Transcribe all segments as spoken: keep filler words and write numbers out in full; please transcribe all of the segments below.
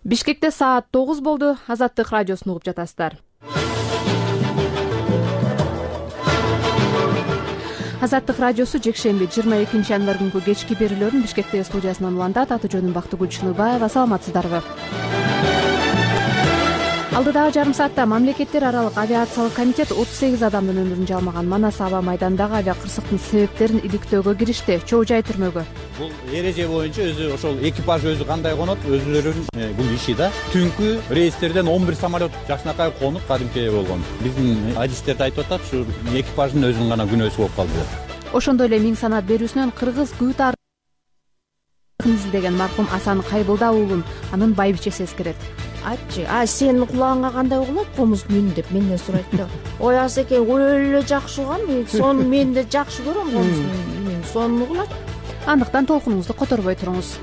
Бишкекте саат тогуз болду. Азаттык радиосун угуп жатасыздар. Азаттык радиосу жекшемби жыйырма экинчи январь күнкү кечки берүүлөрүн Бишкектеги студиясынан улантат. Аты жөнүм Бактыгүл Чыныбаева. Саламатсыздарбы? Алдыдагы жарым саатта мамлекеттер аралык авиациялык комитет отуз сегиз адамдын өмүрүн жалмаган Манас аба майданындагы авиа кырсыктын себептерин иликтөөгө киришти. Чоо жай түрмөгө. Бул эреже боюнча өзү ошол экипаж өзү кандай конот, өзүлөрүнүн бул иши да. Түнкү рейстерден он бир самолет жакшынакай конуп кадимки болгон. Биздин адистерде айтып атат, ушу экипаждын өзүнүн гана күнөөсү болуп калды. Ошондой эле миң санат берүүсүнөн кыргыз күү тарыхын изилдеген маркум Асан Кайбылда уулун анын байбичеси эскерет. Айтчы, а сенин кулагыңа кандай угулат комуз мün деп менден сурайт да. Ой, Асеке өлө эле жакшы угам, сону мен да жакшы көрөм комуз мün. Сону угулат. Андыктан толкунуңузду которбой туруңуз.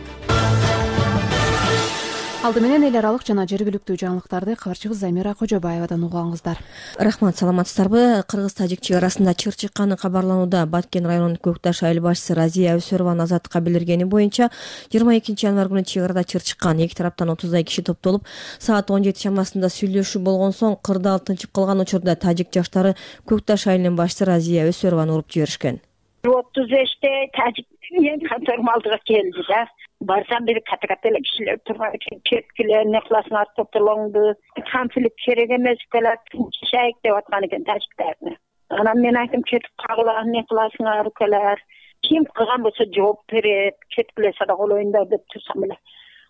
Алды менен эл аралык жана жергиликтүү жаңылыктарды кабарчыбыз Замира Кожобаевадан угаңыздар. Рахмат, саламатсыздарбы? Кыргыз-тажик чек арасында чыр чыкканы кабарланууда. Баткен районунун Көкташ айыл башчысы Разия Өсөрованын Азаттыкка билдиргени боюнча жыйырма экинчи январь күнү чек арада чыр чыккан. Эки тараптан отуздай киши топтолуп, саат он жети чамасында сүйлөшүү болгон соң кырдаал тынчып калган учурда тажик жаштары Көкташ айылынын башчысы Разия Өсөрованы уруп жиберишкен. отуз беште тажик мен контордун алдыга келди да. Барсам бир ката-ката эле кишилер турган экен. Кеткиле, эмне кыласың, топтолоңду. Конфликт керек эмес экенлер, тынчышайык деп аткан экен тажиктарны. Анан мен айттым, кетип кагыла, эмне кыласыңар укалар. Ким кылган болсо жооп берет, кеткиле сада колоюндар деп турсам эле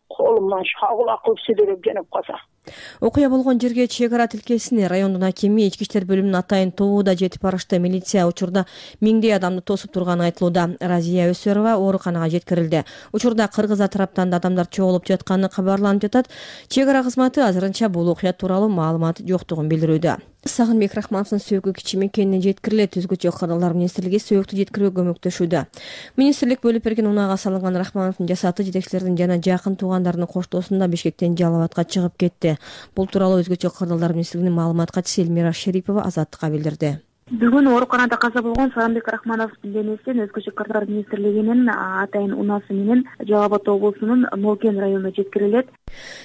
колумдан шагыла кылып сүдүрүп жөнөп калса. Окуя болгон жерге чек ара тилкесине райондун акими, ички иштер бөлүмүнүн атайын тобу да жетип барышты. Милиция учурда миңдей адамды тосуп турганы айтылууда. Разия Өсөрова ооруканага жеткирилди. Учурда кыргыз тараптан да адамдар чогулуп жатканы кабарланып жатат. Чек ара кызматы азырынча бул окуя тууралуу маалымат жоктугун билдирүүдө. Сагынбек Рахмановдун сөөгү кичи мекенине жеткирилет. Өзгөчө кырдаалдар министрлиги сөөгүктү жеткирүүгө көмөктөшүүдө. Министрлик бөлүп берген унаага салынган Рахмановдун жасаты жетекчилердин жана жакын туугандарынын коштоосунда Бишкектен Жалал абадка чыгып кетти. Бул тууралуу өзгөчө кырдаалдар министрлигинин маалымат катчысы Элмира Шерипова Азаттыкка билдирди. Бүгүн ооруканада каза болгон Сагынбек Рахмановдун денесин өзгөчө кырдаалдар министрлигинин атайын унасы менен Жалал Абад облусунун Молкен районуна жеткирилет.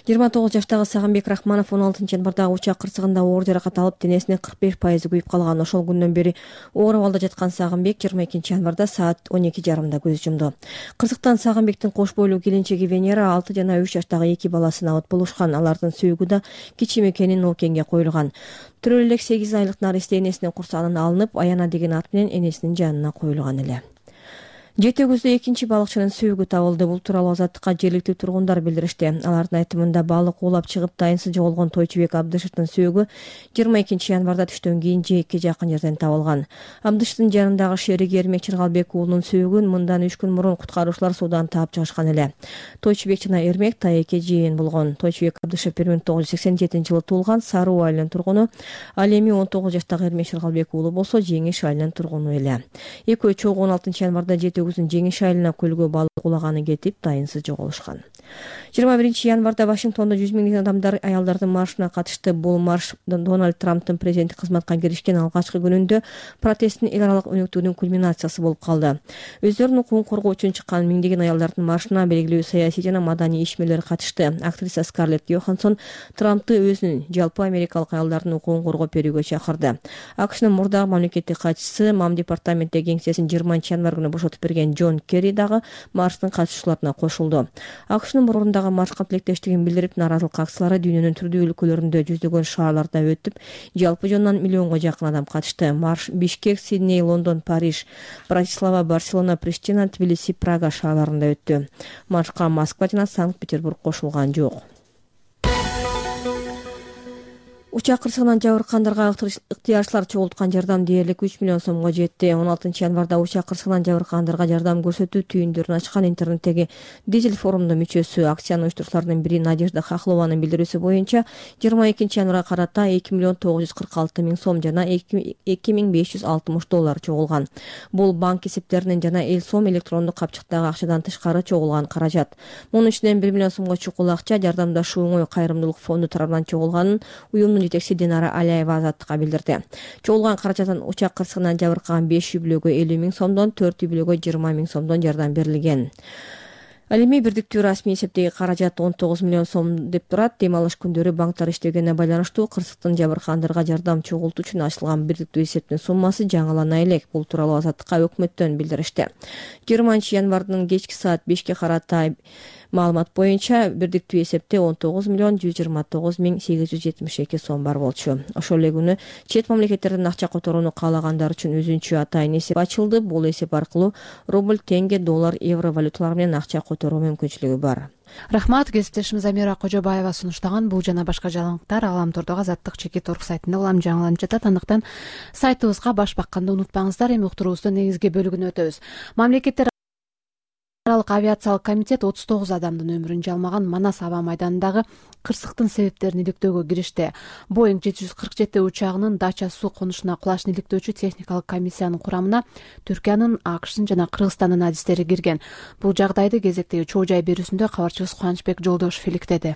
жыйырма тогуз жаштагы Сагынбек Рахманов он алтынчы январдагы учак кырсыгында оор жаракат алып, денесинин кырк беш пайызы күйүп калган. Ошол күндөн бери оор абалда жаткан Сагынбек жыйырма экинчи январда саат он эки жарымда көз жумду. Кырсыктан Сагынбектин кош бойлуу келинчеги Венера, алты жана үч жаштагы эки баласын абат болушкан. Алардын сөөгү да кичи мекенин Молкенге коюлган. Төрөлө элек сегиз айлык Наристе энесинин курсагынан алынып, Аяна деген ат менен энесинин жанына коюлган эле. Жети өгүздө экинчи балыкчынын сөөгү табылды. Бул тууралуу Азаттыкка жергиликтүү тургундар билдиришти. Алардын айтымында балык уулап чыгып дайынсыз жоголгон Тойчубек Абдышевдин сөөгү жыйырма экинчи январда түштөн кийин жээкке жакын жерден табылган. Абдышевдин жанындагы шериги Эрмек Чыргалбек уулунун сөөгүн мындан үч күн мурун куткаруучулар суудан таап чыгышкан эле. Тойчубек жана Эрмек тайэке жыйын болгон. Тойчубек Абдышев бир миң тогуз жүз сексен жетинчи жылы туулган, Саруу айылынын тургуну. Ал эми он тогуз жаштагы Эрмек Чыргалбек уулу болсо Жеңиш айылынын тургуну эле. Экөө чогуу он алтынчы январда жети өгүздүн Жеңиш айылына көлгө балык уулаганы кетип, дайынсыз жоголушкан. жыйырма биринчи январда Вашингтондо жүз миңдеген адамдар аялдардын маршына катышты. Бул марш Дональд Трамптын президенттик кызматка киришкен алгачкы күнүндө протесттин эл аралык өнүктүүнүн кульминациясы болуп калды. Өздөрүнүн укугун коргоо үчүн чыккан миңдеген аялдардын маршына белгилүү саясий жана маданий ишмерлер катышты. Актриса Скарлетт Йоханссон Трампты өзүнүн жалпы америкалык аялдардын укугун коргоп берүүгө чакырды. АКШнын мурдагы мамлекеттик катчысы Мам департаменттеги кеңсесин жыйырманчы январь күнү бошотуп берген Джон Керри дагы марштын катышуучуларына кошулду. АКШнын мурундагы маршка тилектештигин билдирип, нааразылык акциялары дүйнөнүн түрдүү өлкөлөрүндө жүздөгөн шаарларда өтүп, жалпы жонунан миллионго жакын адам катышты. Марш Бишкек, Сидней, Лондон, Париж, Братислава, Барселона, Приштина, Тбилиси, Прага шаарларында өттү. Маршка Москва жана Санкт-Петербург кошулган жок. Учак кырсыгынан жабыркагандарга ыктыярчылар чогулткан жардам дээрлик үч миллион сомго жетти. он алтынчы январда учак кырсыгынан жабыркагандарга жардам көрсөтүү түйүндөрүн ачкан интернеттеги Дизель форумунун мүчөсү, акциянын уюштуруучуларынын бири Надежда Хохлованын билдирүүсү боюнча жыйырма экинчи январга карата эки миллион тогуз жүз кырк алты миң сом жана эки миң беш жүз алтымыш доллар чогулган. Бул банк эсептеринен жана эл сом электрондук капчыктагы акчадан тышкары чогулган каражат. Мунун ичинен бир миллион сомго чукул акча жардамдашуу оңой кайрымдуулук фонду тарабынан чогулганын уюмдун жетекчиси Динара Алиева Азаттыкка билдирди. Чогулган каражаттан учак кырсыгынан жабыркаган беш үй бүлөгө элүү миң сомдон, төрт үй бүлөгө жыйырма миң сомдон жардам берилген. Ал эми бирдиктүү расмий эсептеги каражат он тогуз миллион сом деп турат. Дем алыш күндөрү банктар иштегенине байланыштуу кырсыктын жабыркагандарга жардам чогултуу үчүн ачылган бирдиктүү эсептин суммасы жаңылана элек. Бул тууралуу Азаттыкка өкмөттөн билдиришти. жыйырманчы январдын кечки саат бешке карата маалымат боюнча бирдиктүү эсепте он тогуз миллион жүз жыйырма тогуз миң сегиз жүз жетимиш эки сом бар болчу. Ошол эле күнү чет мамлекеттерден акча которууну каалагандар үчүн өзүнчө атайын эсеп ачылды. Бул эсеп аркылуу рубль, тенге, доллар, евро валюталар менен акча которуу мүмкүнчүлүгү бар. Рахмат. Кесиптешimiz Амира Кожобаева сунуштаган бул жана башка жаңылыктар Аламтордогу Азаттык чекит орг сайтында улам жаңыланып жатат. Андыктан сайтыбызга баш бакканды унутпаңыздар. Эми уктуруубуздун негизги бөлүгүнө өтөбүз. Мамлекеттер аралык авиациялык комитет отуз тогуз адамдын өмүрүн жалмаган Манас аба майданындагы кырсыктын себептерин иликтөөгө киришти. Боинг жети жүз кырк жети учагынын Дача суу конушуна кулашын иликтөөчү техникалык комиссиянын курамына Түркиянын, АКШтын жана Кыргызстандын адистери кирген. Бул жагдайды кезектеги чоо жай берүүсүндө кабарчыбыз Кубанычбек Жолдошев иликтеди.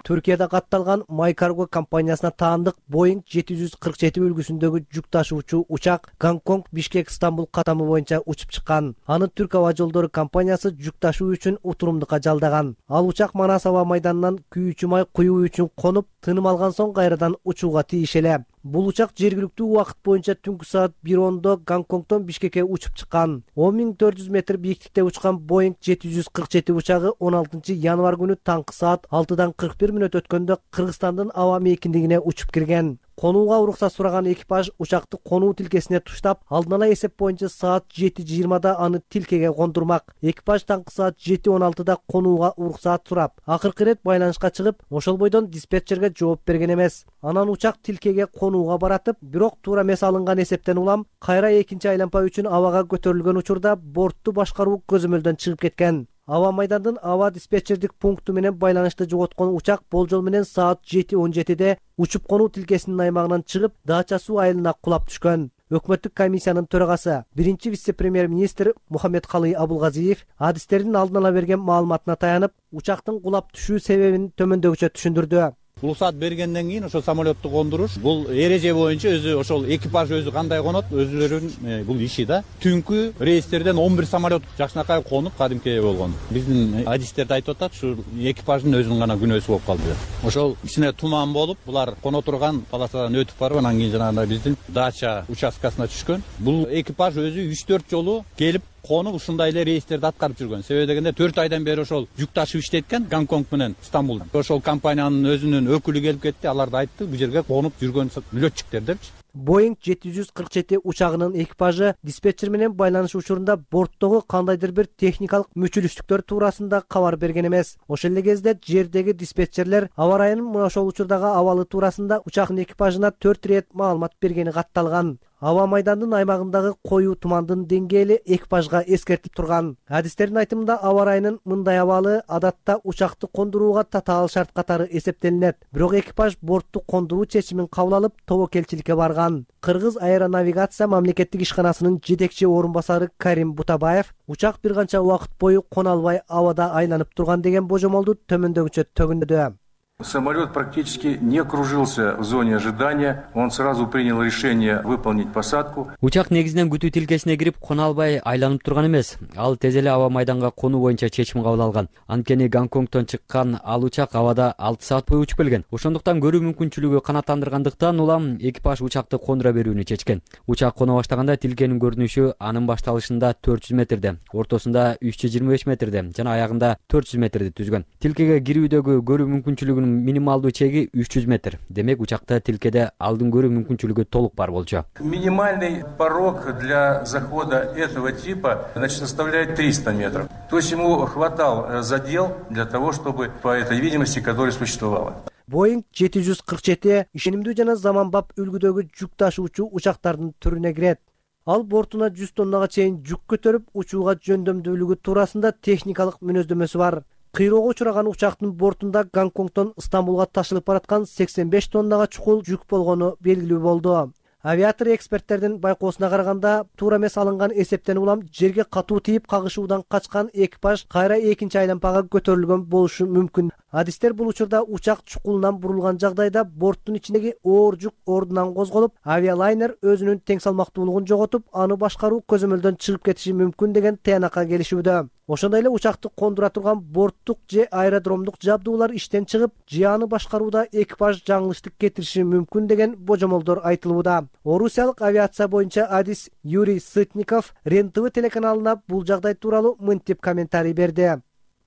Түркияда катталган Майкарго компаниясына таандык Боинг жети жүз кырк жети үлгүсүндөгү жүк ташуучу учак Гонконг, Бишкек, Стамбул катамы боюнча учуп чыккан. Аны Түрк аба жолдору компаниясы жүк ташуу үчүн утурумдукка жалдаган. Ал учак Манас аба майданынан күйүүчү май куюу үчүн конуп, тыным алган соң кайрадан учууга тийиш эле. Бул учак жергиликтүү убакыт боюнча түнкү саат бир ондо Гонконгдон Бишкекке учуп чыккан. он миң төрт жүз метр бийиктикте учкан Боинг жети жүз кырк жети учагы он алтынчы январь күнү таңкы саат алтыдан кырк бир мүнөт өткөндө Кыргызстандын аба мейкиндигине учуп кирген. Конууга уруксат сураган экипаж учакты конуу тилкесине туштап, алдын ала эсеп боюнча саат жети жыйырмада аны тилкеге кондурмак. Экипаж таңкы саат жети он алтыда конууга уруксат сурап, акыркы ирет байланышка чыгып, ошол бойдон диспетчерге жооп берген эмес. Анан учак тилкеге конууга баратып, бирок туура эмес алынган эсептен улам кайра экинчи айланпа үчүн абага көтөрүлгөн учурда бортту башкаруу көзөмөлдөн чыгып кеткен. Аба майдандын аба диспетчердик пункту менен байланышты жоготкон учак болжол менен саат жети он жетиде учуп конуу тилкесинин аймагынан чыгып, Дача суу айылына кулап түшкөн. Өкмөттүк комиссиянын төрагасы, биринчи вице-премьер-министр Мухаммедкалый Абулгазиев адистердин алдын ала берген маалыматына таянып, учактын кулап түшүү себебин төмөндөгүчө түшүндүрдү. Уруксат бергенден кийин ошол самолетту кондуруш бул эреже боюнча өзү ошол экипаж өзү кандай конот, өзүлөрүнүн бул иши да. Түнкү рейстерден он бир самолет жакшынакай конуп кадимки болгон. Биздин адистерди айтып атат, ушу экипаждын өзүнүн гана күнөөсү болуп калды. Ошол кичине туман болуп, булар коно турган полосадан өтүп барып, анан кийин жанагындай биздин Дача участкасына түшкөн. Бул экипаж өзү үч төрт жолу келип конуп ушундай эле рейстерди аткарып жүргөн. Себеби дегенде төрт айдан бери ошол жүк ташып иштейт экен Гонконг менен Стамбулдан. Ошол компаниянын өзүнүн өкүлү келип кетти, аларды айтты, бул жерге конуп жүргөн летчиктер депчи. Боинг жети жүз кырк жети учагынын экипажы диспетчер менен байланыш учурунда борттогу кандайдыр бир техникалык мүчүлүштүктөр туурасында кабар берген эмес. Ошол эле кезде жердеги диспетчерлер аба ырайынын мына ошол учурдагы абалы туурасында учактын экипажына төрт ирет маалымат бергени катталган. Аба майдандын аймагындагы коюу тумандын деңгээли экипажга эскертип турган. Адистердин айтымында аба ырайынын мындай абалы адатта учакты кондурууга татаал шарт катары эсептелинет. Бирок экипаж бортту кондуруу чечимин кабыл алып, тобокелчиликке барган. Кыргыз аэронавигация мамлекеттик ишканасынын жетекчи орун басары Карим Бутабаев учак бир канча убакыт бою кона албай абада айланып турган деген божомолду төмөндөгүчө төгүндү. Самолет практически не кружился в зоне ожидания. Он сразу принял решение выполнить посадку. Учак негизинен күтүү тилкесине кирип, кона албай айланып турган эмес. Ал тез эле аба майданга конуу боюнча чечим кабыл алган. Анткени Гонконгдон чыккан ал учак абада алты саат бою учуп келген. Ошондуктан көрүү мүмкүнчүлүгү канааттандыргандыктан улам экипаж учакты кондура берүүнү чечкен. Учак кона баштаганда тилкенин көрүнүшү анын башталышында төрт жүз метрде, ортосунда үч жүз жыйырма беш метрде жана аягында төрт жүз метрди түзгөн. Тилкеге кирүүдөгү көрүү мүмкүнчүлүгүнүн минималдуу чеги үч жүз метр. Демек учакта тилкеде алдын көрүү мүмкүнчүлүгү толук бар болчу. Минимальный порог для захода этого типа, значит, составляет триста метров. То есть ему хватал задел для того, чтобы по этой видимости, которая существовала. Боинг жети жүз кырк жети ишенимдүү жана заманбап үлгүдөгү жүк ташуучу учактардын түрүнө кирет. Ал бортуна жүз тоннага чейин жүк көтөрүп, учууга жөндөмдүүлүгү туурасында техникалык мүнөздөмөсү бар. Кыйроого учураган учактын бортунда Гонконгдон Стамбулга ташылып бараткан сексен беш тоннага чукул жүк болгону белгилүү болду. Авиатор эксперттердин байкоосуна караганда, туура эмес алынган эсептен улам жерге катуу тийип кагышуудан качкан экипаж кайра экинчи айлампага көтөрүлгөн болушу мүмкүн. Адистер бул учурда учак чукулунан бурулган жагдайда борттун ичиндеги оор жүк ордунан козголуп, авиалайнер өзүнүн тең салмактуулугун жоготуп, аны башкаруу көзөмөлдөн чыгып кетиши мүмкүн деген тыянакка келишүүдө. Ошондой эле учакты кондура турган борттук же аэродромдук жабдуулар иштен чыгып, же аны башкарууда экипаж жаңылыштык кетириши мүмкүн деген божомолдор айтылууда. Орусиялык авиация боюнча адис Юрий Сытников РЕН-ТВ телеканалына бул жагдай тууралуу мынтип комментарий берди.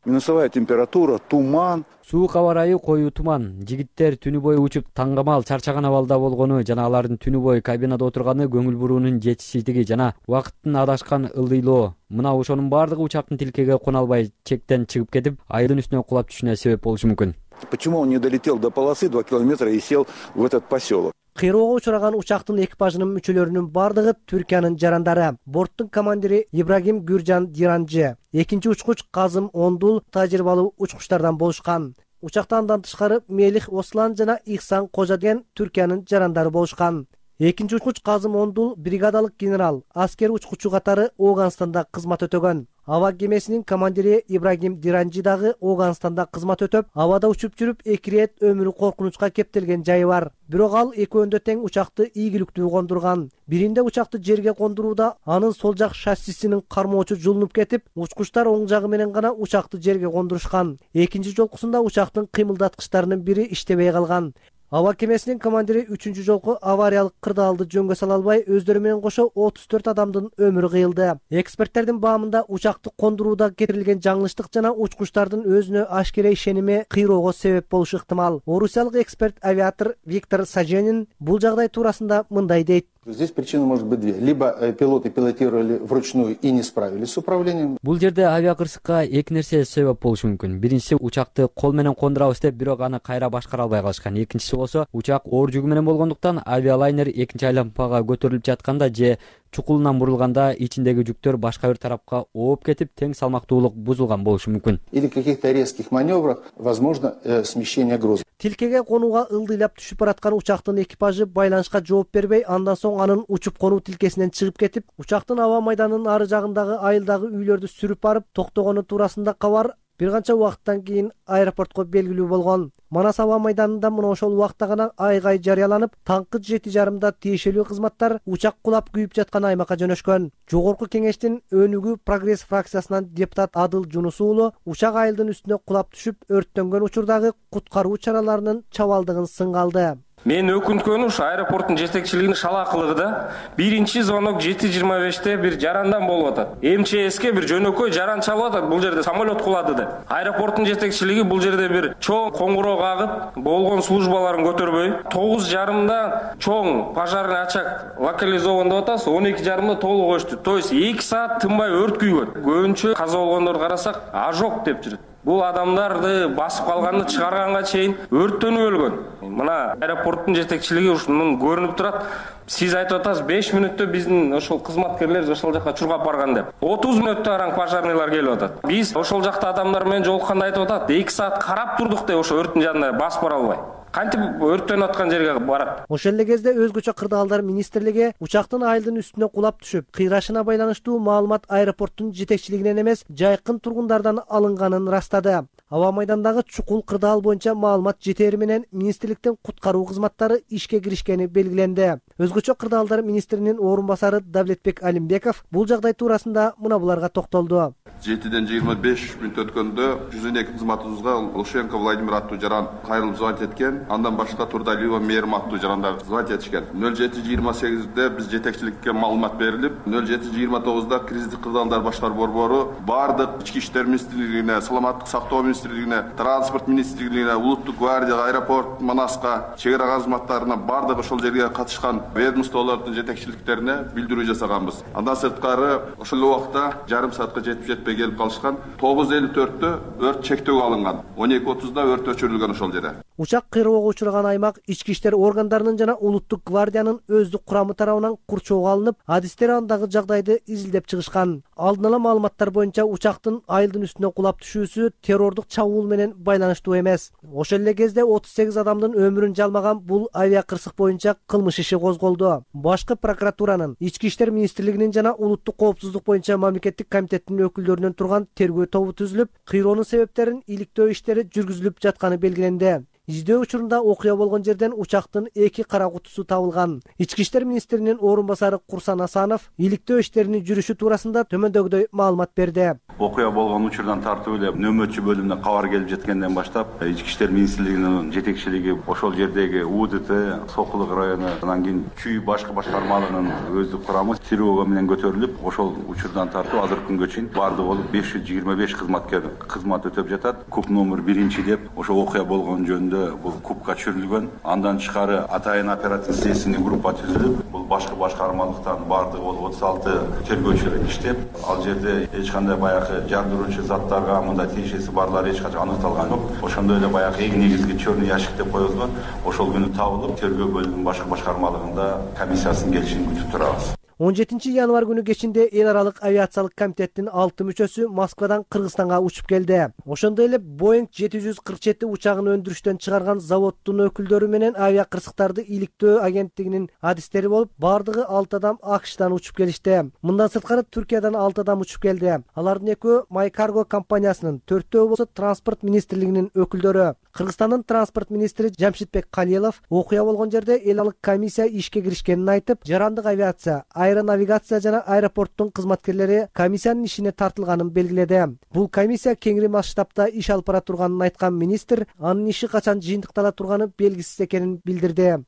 Минусовая температура, туман. Суук аба ырайы, коюу туман. Жигиттер түнү бою учуп таңгамал чарчаган абалда болгону жана алардын түнү бою кабинада отурганы көңүл буруунун жетишсиздиги жана убакыттын адашкан ылдыйлоо. Мына ошонун бардыгы учактын тилкеге кона албай чектен чыгып кетип, айылдын үстүнө кулап түшүнө себеп болушу мүмкүн. Почему он не долетел до полосы два километра и сел в этот поселок? Кыйроого учураган учактын экипажынын мүчөлөрүнүн бардыгы Түркиянын жарандары. Борттун командири Ибрагим Гүржан Диранжы, экинчи учкуч Казым Ондул тажрыйбалуу учкучтардан болушкан. Учакта андан тышкары Мелих Ослан жана Ихсан Кожа деген Түркиянын жарандары болушкан. Экинчи учкуч Казым Ондул бригадалык генерал, аскер учкучу катары Ооганстанда кызмат өтөгөн. Аба кемесинин командири Ибрагим Диранжи дагы Ооганстанда кызмат өтөп, абада учуп жүрүп эки ирет өмүрү коркунучка кептелген жайы бар. Бирок ал экөөндө тең учакты ийгиликтүү кондурган. Биринде учакты жерге кондурууда анын сол жак шассисинин кармоочу жулунуп кетип, учкучтар оң жагы менен гана учакты жерге кондурушкан. Экинчи жолкусунда учактын кыймылдаткычтарынын бири иштебей калган. Аба кемесинин командири үчүнчү жолку авариялык кырдаалды жөнгө сала албай, өздөрү менен кошо отуз төрт адамдын өмүрү кыйылды. Эксперттердин баамында учакты кондурууда кетирилген жаңылыштык жана учкучтардын өзүнө ашкере ишеними кыйроого себеп болушу ыктымал. Орусиялык эксперт авиатор Виктор Саженин бул жагдай туурасында мындай дейт. Здесь причина может быть две. Либо пилоты пилотировали вручную и не справились с управлением. Бул жерде авиакырсыкка эки нерсе себеп болушу мүмкүн. Биринчиси, учакты кол менен кондурабыз деп, бирок аны кайра башкара албай калышкан. Экинчиси болсо, учак оор жүгү менен болгондуктан авиалайнер экинчи айлампага көтөрүлүп жатканда же чукулунан бурулганда ичиндеги жүктөр башка бир тарапка ооп кетип, тең салмактуулук бузулган болушу мүмкүн. Или каких-то резких маневрах возможно э, смещение груза. Тилкеге конууга ылдыйлап түшүп бараткан учактын экипажы байланышка жооп бербей, андан соң анын учуп конуу тилкесинен чыгып кетип, учактын аба майданынын ары жагындагы айылдагы үйлөрдү сүрүп барып токтогону туурасында кабар бир канча убакыттан кийин аэропортко белгилүү болгон. Манас аба майданында мына ошол убакта гана айгай жарыяланып, таңкы жети жарымда тиешелүү кызматтар учак кулап күйүп жаткан аймакка жөнөшкөн. Жогорку кеңештин Өнүгүү Прогресс фракциясынан депутат Адыл Жунус уулу учак айылдын үстүнө кулап түшүп, өрттөнгөн учурдагы куткаруу чараларынын чабалдыгын сынга алды. Мен өкүнткөнү ушу аэропорттун жетекчилигинин шалаакылыгы да. Биринчи звонок жети жыйырма беште бир жарандан болуп атат. МЧСке бир жөнөкөй жаран чалып атат, бул жерде самолет кулады деп. Аэропорттун жетекчилиги бул жерде бир чоң коңгуроо кагып, болгон службаларын көтөрбөй, тогуз жарымда чоң пожарный очаг локализован деп атабыз, он эки жарымда толук өчтү. То есть эки саат тынбай өрт күйгөн. Көбүнчө каза болгондорду карасак, ожог деп жүрөт. Бул адамдарды басып калганды чыгарганга чейин өрттөнүп өлгөн. Мына аэропорттун жетекчилиги ушунун көрүнүп турат. Сиз айтып атасыз, беш мүнөттө биздин ошол кызматкерлер ошол жака чургап барган деп. отуз мүнөттө араң пожарныйлар келип атат. Биз ошол жакта адамдар менен жолукканда айтып атат, эки саат карап турдук деп ошо өрттүн жанына басып бара албай. Кантип өрттөнүп аткан жерге барат. Ошол эле кезде өзгөчө кырдаалдар министрлиги учактын айылдын үстүнө кулап түшүп, кыйрашына байланыштуу маалымат аэропорттун жетекчилигинен эмес, жайкын тургундардан алынганын растады. Аба майдандагы чукул кырдаал боюнча маалымат жетери менен министрликтин куткаруу кызматтары ишке киришкени белгиленди. Өзгөчө кырдаалдар министринин орун басары Давлетбек Алимбеков бул жагдай туурасында мына буларга токтолду. жетиден жыйырма беш мүнөт өткөндө жүз он эки кызматыбызга Лушенко Владимир аттуу жаран кайрылып звонить эткен. Андан башка Турдалиева Мээрим аттуу жарандар звонить этишкен. нөл жети жыйырма сегизде биз жетекчиликке маалымат берилип, нөл жети жыйырма тогузда кризистик кырдаалдар башкаруу борбору бардык ички иштер министрлигине, саламаттык сактоо министрлигине, транспорт министрлигине, улуттук гвардияга, аэропорт, Манаска, чек ара кызматтарына бардык ошол жерге катышкан ведомстволордун жетекчиликтерине билдирүү жасаганбыз. Андан сырткары ошол убакта жарым саатка жетип жетпей келип калышкан. тогуз элүү төрттө өрт чектөөгө алынган. он эки отузда өрт өчүрүлгөн ошол жерде. Учак террорго учураган аймак ички иштер органдарынын жана улуттук гвардиянын өздүк курамы тарабынан курчоого алынып, адистер андагы жагдайды изилдеп чыгышкан. Алдын ала маалыматтар боюнча учактын айылдын үстүнө кулап түшүүсү террордук чабуул менен байланыштуу эмес. Ошол эле кезде отуз сегиз адамдын өмүрүн жалмаган бул авиа кырсык боюнча кылмыш иши козголду. Башкы прокуратуранын, ички иштер министрлигинин жана улуттук коопсуздук боюнча мамлекеттик комитеттин өкүлдөрүнөн турган тергөө тобу түзүлүп, кыйроонун себептерин иликтөө иштери жүргүзүлүп жатканы белгиленди. Издөө учурунда окуя болгон жерден учактын эки кара кутусу табылган. Ички иштер министринин орун басары Курсан Асанов иликтөө иштеринин жүрүшү туурасында төмөндөгүдөй маалымат берди. Окуя болгон учурдан тартып эле нөмөтчү бөлүмүнө кабар келип жеткенден баштап, ички иштер министрлигинин жетекчилиги ошол жердеги УДТ, Сокулук району, анан кийин Чүй башкы башкармалыгынын өздүк курамы тревога менен көтөрүлүп, ошол учурдан тартып азыркы күнгө чейин баардыгы болуп беш жүз жыйырма беш кызматкер кызмат өтөп жатат. Куп номер биринчи деп ошол окуя болгон жөнүндө бул купка түшүрүлгөн. Андан тышкары атайын оперативдик следственный группа түзүлүп, бул башкы башкармалыктан баардыгы болуп отуз алты тергөөчү иштеп, ал жерде эч кандай баягы жардыруучу заттарга мындай тиешеси барлары эч качан аныкталган жок. Ошондой эле баягы эң негизги черный ящик деп коебузго, ошол күнү табылып, тергөө бөлүмүнүн башкы башкармалыгында комиссиясынын келишин күтүп турабыз. он жетинчи январь күнү кечинде эл аралык авиациялык комитеттин алты мүчөсү Москвадан Кыргызстанга учуп келди. Ошондой эле Boeing жети жүз кырк жети учагын өндүрүштөн чыгарган заводдун өкүлдөрү менен авиа кырсыктарды иликтөө агенттигинин адистери болуп, бардыгы алты адам АКШтан учуп келишти. Мындан сырткары Түркиядан алты адам учуп келди. Алардын экөө MyCargo компаниясынын, төртөө болсо транспорт министрлигинин өкүлдөрү. Кыргызстандын транспорт министри Жамшитбек Калилов окуя болгон жерде эл аралык комиссия ишке киришкенин айтып, жарандык авиация, аэронавигация жана аэропорттун кызматкерлери комиссиянын ишине тартылганын белгиледи. Бул комиссия кеңири масштабта иш алып бара турганын айткан министр, анын иши качан жыйынтыктала турганы белгисиз экенин билдирди.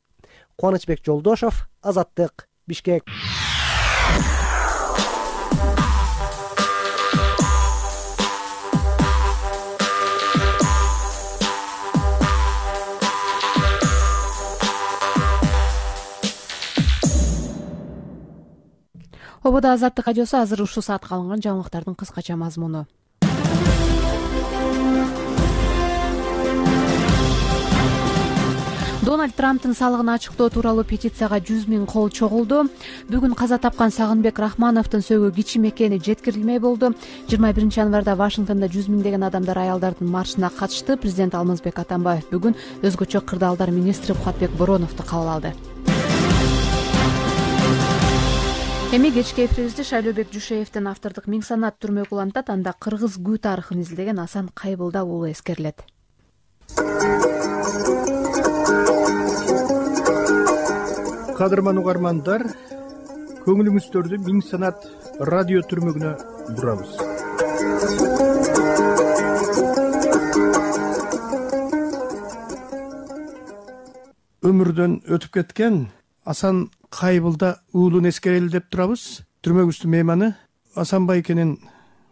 Кубанычбек Жолдошов, Азаттык, Бишкек. Ободо Азаттык радиосу азыр ушул саатка алынган жаңылыктардын кыскача мазмуну. Дональд Трамптын салыгын ачыктоо тууралуу петицияга жүз миң кол чогулду. Бүгүн каза тапкан Сагынбек Рахмановдун сөөгү кичи мекени жеткирилмей болду. жыйырма биринчи январда Вашингтондо жүз миңдеген адамдар аялдардын маршына катышты. Президент Алмазбек Атамбаев бүгүн өзгөчө кырдаалдар министри Кубатбек Бороновду кабыл алды. Эми кечки эфирибизди Шайлообек Жушеевдин автордук Миң санат түрмөк улантат. Анда кыргыз күү тарыхын изилдеген Асан Кайбылда уулу эскерилет. Кадырман угармандар, көңүлүңүздөрдү Миң санат радио түрмөгүнө бурабыз. Өмүрдөн өтүп кеткен Асан Кайбылда уулун эскерели деп турабыз. Түрмөгүбүздүн мейманы Асан байкенин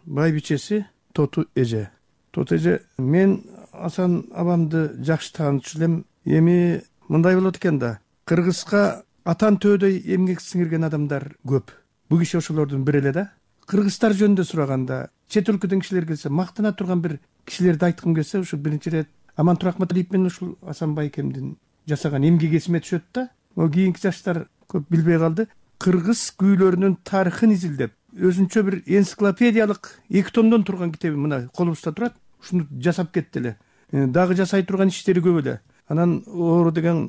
байбичеси Тоту эже. Тоту эже, мен Асан абамды жакшы таанычу элем. Эми мындай болот экен да, Кыргызга атан төөдөй эмгек сиңирген адамдар көп. Бул киши ошолордун бири эле да. Кыргыздар жөнүндө сураганда, чет өлкөдөн кишилер келсе, мактана турган бир кишилерди айткым келсе, ушул биринчи ирет Амантур Акматалиев менен ушул Асан байкемдин жасаган эмгеги эсиме түшөт да. О кийинки жаштар көп билбей калды. Кыргыз күүлөрүнүн тарыхын изилдеп, өзүнчө бир энциклопедиялык эки томдон турган китеби мына колубузда турат. Ушуну жасап кетти эле. Дагы жасай турган иштери көп эле. Анан оору деген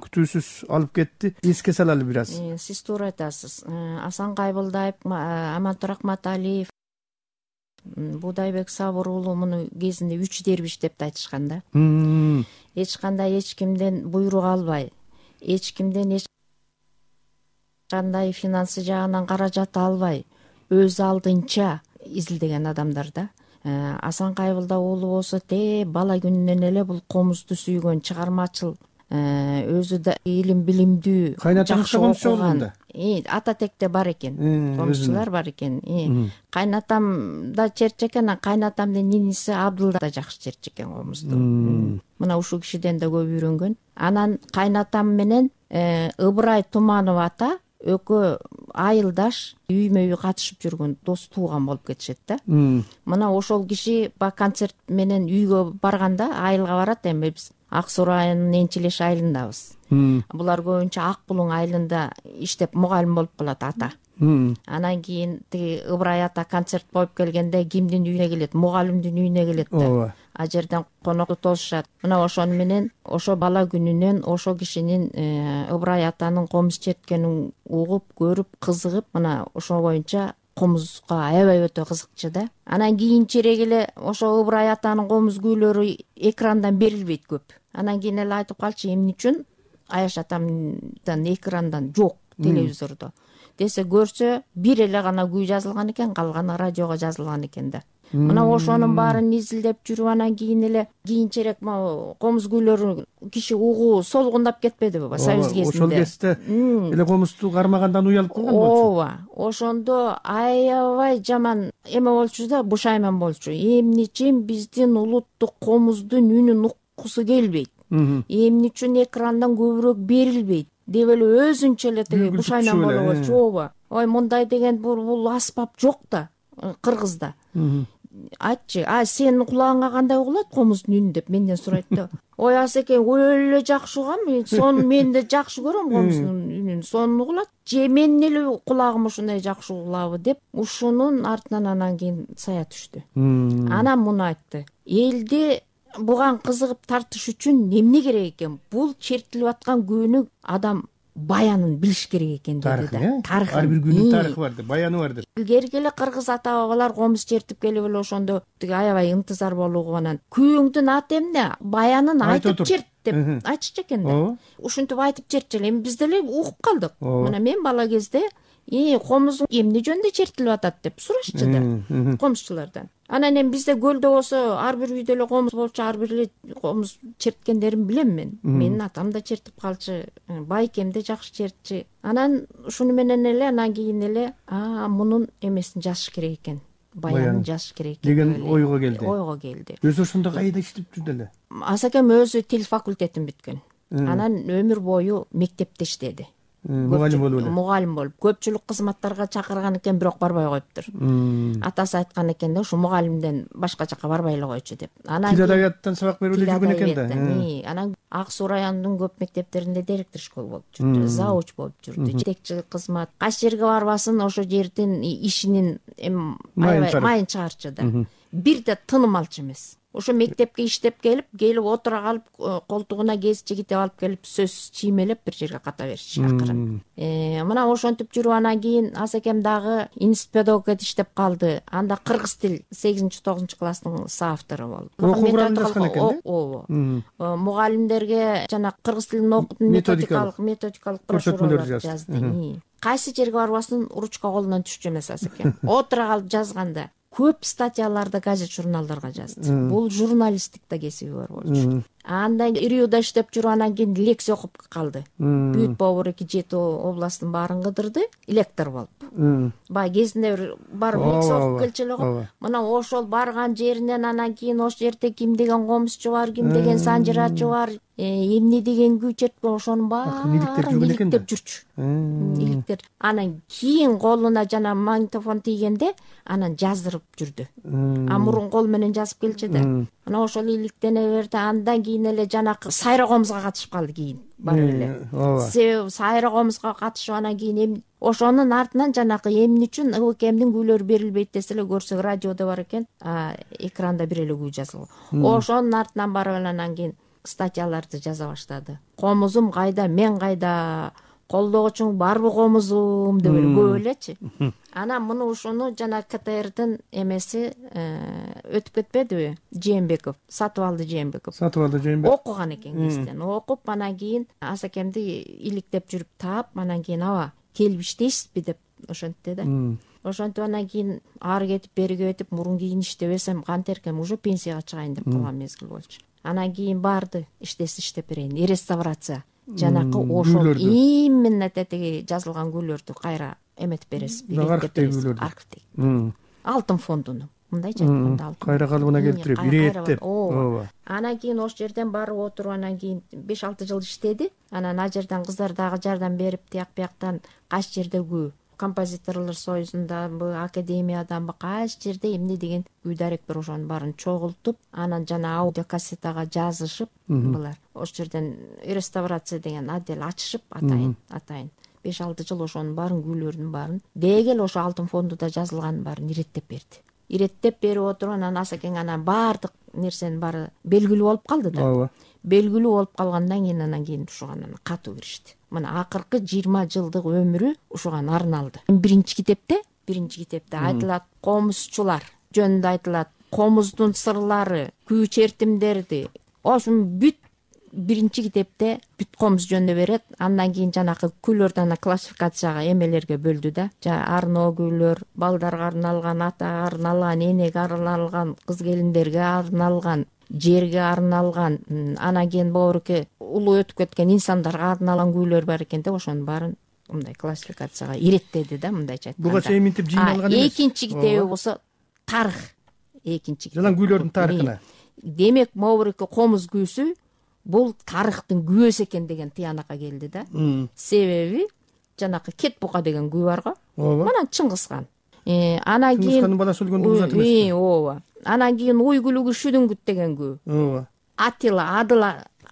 күтүүсүз алып кетти. Эске салалы бир аз. Сиз туура айтасыз. Асан Кайбылдаев, Амантур Акматалиев, Будайбек Сабыр уулу муну кезинде үч дербиш деп айтышкан да. Эч кандай эч кимден буйрук албай, эч кимден эч кандай финансы жагынан каражат албай, өз алдынча изилдеген адамдар да. Асан Кайбылда уулу болсо те бала күнүнөн эле бул комузду сүйгөн, чыгармачыл, өзү да илим билимдүү, жакшы окуган. Ата текте бар экен, комузчулар бар экен. Кайнатам да черчекен, кайнатамдын ниниси Абдулда да жакшы черчекен комузду. Мына ушул кишиден да көп үйрөнгөн. Анан кайнатам менен Ыбырай Туманов ата экөө айылдаш, үймө үй катышып жүргөн, дос тууган болуп кетишет да. Мына ошол киши ба концерт менен үйгө барганда, айылга барат, эми биз Ак Суу районунун Энчилеш айылындабыз. Булар көбүнчө Ак Булуң айылында иштеп мугалим болуп калат ата. Анан кийин тиги Ыбырай ата концерт коюп келгенде кимдин үйүнө келет? Мугалимдин үйүнө келет да. ооба. А жерден конокту толушат. Мына ошону менен ошо бала күнүнөн ошо кишинин Ыбырай атанын комуз черткенин угуп, көрүп, кызыгып, мына ошо боюнча комузга аябай өтө кызыкчу да. Анан кийинчерээк эле ошо Ыбырай атанын комуз күүлөрү экрандан берилбейт көп. Анан кийин эле айтып калчу, эмне үчүн Аяш атамдан экрандан жок телевизордо десе, көрсө бир эле гана күй жазылган экен, калганы радиого жазылган экен да. Мына ошонун баарын изилдеп жүрүп, анан кийин эле кийинчерээк могу комуз күүлөрү киши угуу солгундап кетпедиби Союз кезинде? Ошол кезде эле комузду кармагандан уялып калган болчу. Ооба, ошондо аябай жаман эме болчу да, бушайман болчу. Эмне үчүн биздин улуттук комуздун үнүн уккусу келбейт? Эмне үчүн экрандан көбүрөөк берилбейт деп эле өзүнчө эле тиги бушайман болуп болчу. Ооба. Ой, мындай деген бул аспап жок да Кыргызда. Айтчы, а сенин кулагыңа кандай угулат комуздун үнү деп менден сурайт да. Ой, Асеке, өлө жакшы угам, сону мен да жакшы көрөм комуздун үнүн. Сонун угулат. Же менин эле кулагым ушундай жакшы угулабы деп, ушунун артынан анан кийин сая түштү. Анан муну айтты. Элди буган кызыгып тартыш үчүн эмне керек экен? Бул чертилип аткан күнү адам баянын билиш керек экен деди да. Тарыхы. Ар бир күнүн тарыхы бар деп, баяны бар деп. Илгерки эле кыргыз ата бабалар комуз чертип келип эле ошондо тиги аябай интызар болуугу анан күйөөңдүн аты эмне? Баянын айтып черт деп айтышчу экен да. Ушинтип айтып чертчу эле. Эми биз деле угуп калдык. Мына мен бала кезде И комуз эмне жөнүндө чертилип атат деп сурашчу да комузчулардан. Анан эми бизде көлдө болсо ар бир үйдө эле комуз болчу, ар бир эле комуз черткендерин билем мен. Менин атам да чертип калчу, байкем да жакшы чертчү. Анан ушуну менен эле анан кийин эле а мунун эмесин жазыш керек экен. Баянын жазыш керек экен деген ойго келди. Ойго келди. Өзү ошондо кайда иштеп жүрдү эле? Асакем өзү тил факультетин бүткөн. Анан өмүр бою мектепте иштеди. Мугалим болуп эле. Мугалим болуп, көпчүлүк кызматтарга чакырган экен, бирок барбай коюптур. Атасы айткан экен да, ушу мугалимден башка жака барбай эле койчу деп. Анан тил адабияттан сабак берип эле жүргөн экен да. Анан Ак Суу районунун көп мектептеринде директор школ болуп жүрдү, зауч болуп жүрдү, жетекчилик кызмат. Кайсы жерге барбасын ошо жердин ишинин майын чыгарчу да. Бирде тыным алчу эмес. Ошо мектепке иштеп келип, келип отура калып, колтугуна гез жигитеп алып келип, сөз чиймелеп бир жерге ката берчү акырын. Мына ошентип жүрүп анан кийин Асекем дагы институт педагогикада иштеп калды. Анда кыргыз тил сегизинчи тогузунчу класстын соавтору болду. Окуу куралдашкан экен да? Ооба. Мугалимдерге жана кыргыз тилин окутуу методикалык методикалык көрсөтмөлөр жазды. Кайсы жерге барбасын ручка колунан түшчү эмес Асекем. Отура калып жазганда көп статьяларды газет журналдарга жазды. Бул журналисттикте кесиби бар болчу. Андан Риуда иштеп жүрүп анан кийин лекция окуп калды. Бүт Бобур эки жети областтын баарын кыдырды, лектор болуп. Бай кезинде бир барып лекция окуп келчү эле го. Мына ошол барган жеринен анан кийин ошол жерде ким деген комузчу бар, ким деген санжырачы бар, эмне деген күй чертпе, ошонун баарын иликтеп жүрчү. Иликтер. Анан кийин колуна жана магнитофон тийгенде анан жаздырып жүрдү. А мурун кол менен жазып келчү да. Мына ошол иликтене берди. Андан кийин эле жанакы сайра комузга катышып калды кийин. Барып эле. Себеби сайра комузга катышып анан кийин ошонун артынан жанакы эмне үчүн ыкемдин күйлөрү берилбейт десе эле көрсөк радиодо бар экен, экранда бир эле күй жазылган. Ошонун артынан барып эле анан кийин статьяларды жаза баштады. Комузум кайда, мен кайда, колдогучуң барбы комузум деп эле көп элечи. Анан муну ушуну жана КТРдин эмеси өтүп кетпедиби? Жээнбеков, Сатыбалды Жээнбеков. Сатыбалды Жээнбеков окуган экен кезден. Окуп анан кийин Асекемди иликтеп жүрүп таап, анан кийин аба келип иштейсизби деп ошентти да. Ошентип анан кийин ары кетип, бери кетип, мурун кийин иштебесем кантеркем уже пенсияга чыгайын деп калган мезгил болчу. Анан кийин барды, иштесе иштеп берейин, реставрация. Жанакы ошол именно тетиги жазылган күйлөрдү кайра эметип бересиз, иликтеп бересиз. Архивдеги. Алтын фондуну. Мындайча айтканда алтын. Кайра калыбына келтирип, ирээттеп. Ооба. Анан кийин ошол жерден барып отуруп, анан кийин беш алты жыл иштеди. Анан ал жерден кыздар дагы жардам берип, тияк бияктан кайсы жерде күү композиторлор союзундабы, академиядабы кайсы жерде эмне деген күй даректор ошонун баарын чогултуп, анан жана аудиокассетага жазышып, булар ошол жерден реставрация деген отдел ачышып, атайын атайын беш алты жыл ошонун баарын күйлөрүнүн баарын дегел ошо алтын фондуда жазылганын баарын иреттеп берди. Иреттеп берип отуруп, анан Асакең анан баардык нерсенин баары белгилүү болуп калды да. Ооба. Белгилүү болуп калгандан кийин анан кийин ушуга анан катуу киришти. Мына акыркы жыйырма жылдык өмүрү ушуга арналды. Биринчи китепте, биринчи китепте айтылат комузчулар жөнүндө айтылат, комуздун сырлары, күү чертимдерди. Ошун бүт биринчи китепте бүт комуз жөнүндө берет. Андан кийин жанакы күйлөрдү ана классификацияга эмелерге бөлдү да. Жана арноо күйлөр, балдарга арналган, атага арналган, энеге арналган, кыз келиндерге арналган, жерге арналган, анан кийин боорукке улуу өтүп кеткен инсандарга арналган күйлөр бар экен да. Ошонун баарын мындай классификацияга иреттеди да, мындайча айтканда. Буга чейин мынтип жыйналган эмес. Экинчи китеби болсо тарых. Экинчи китеп. Жана күйлөрдүн тарыхына. Демек, моорукке комуз күүсү бул тарыхтын күбөсү экен деген тыянакка келди да. Себеби жанакы Кет бука деген күү бар го. Мына Чыңгызхан. Анан кийин Чыңгызхандын баласы өлгөндө узат эмес. Ооба. Анан кийин Уйгулугу Шүдүңгүт деген күү. Ооба. Атила Адыл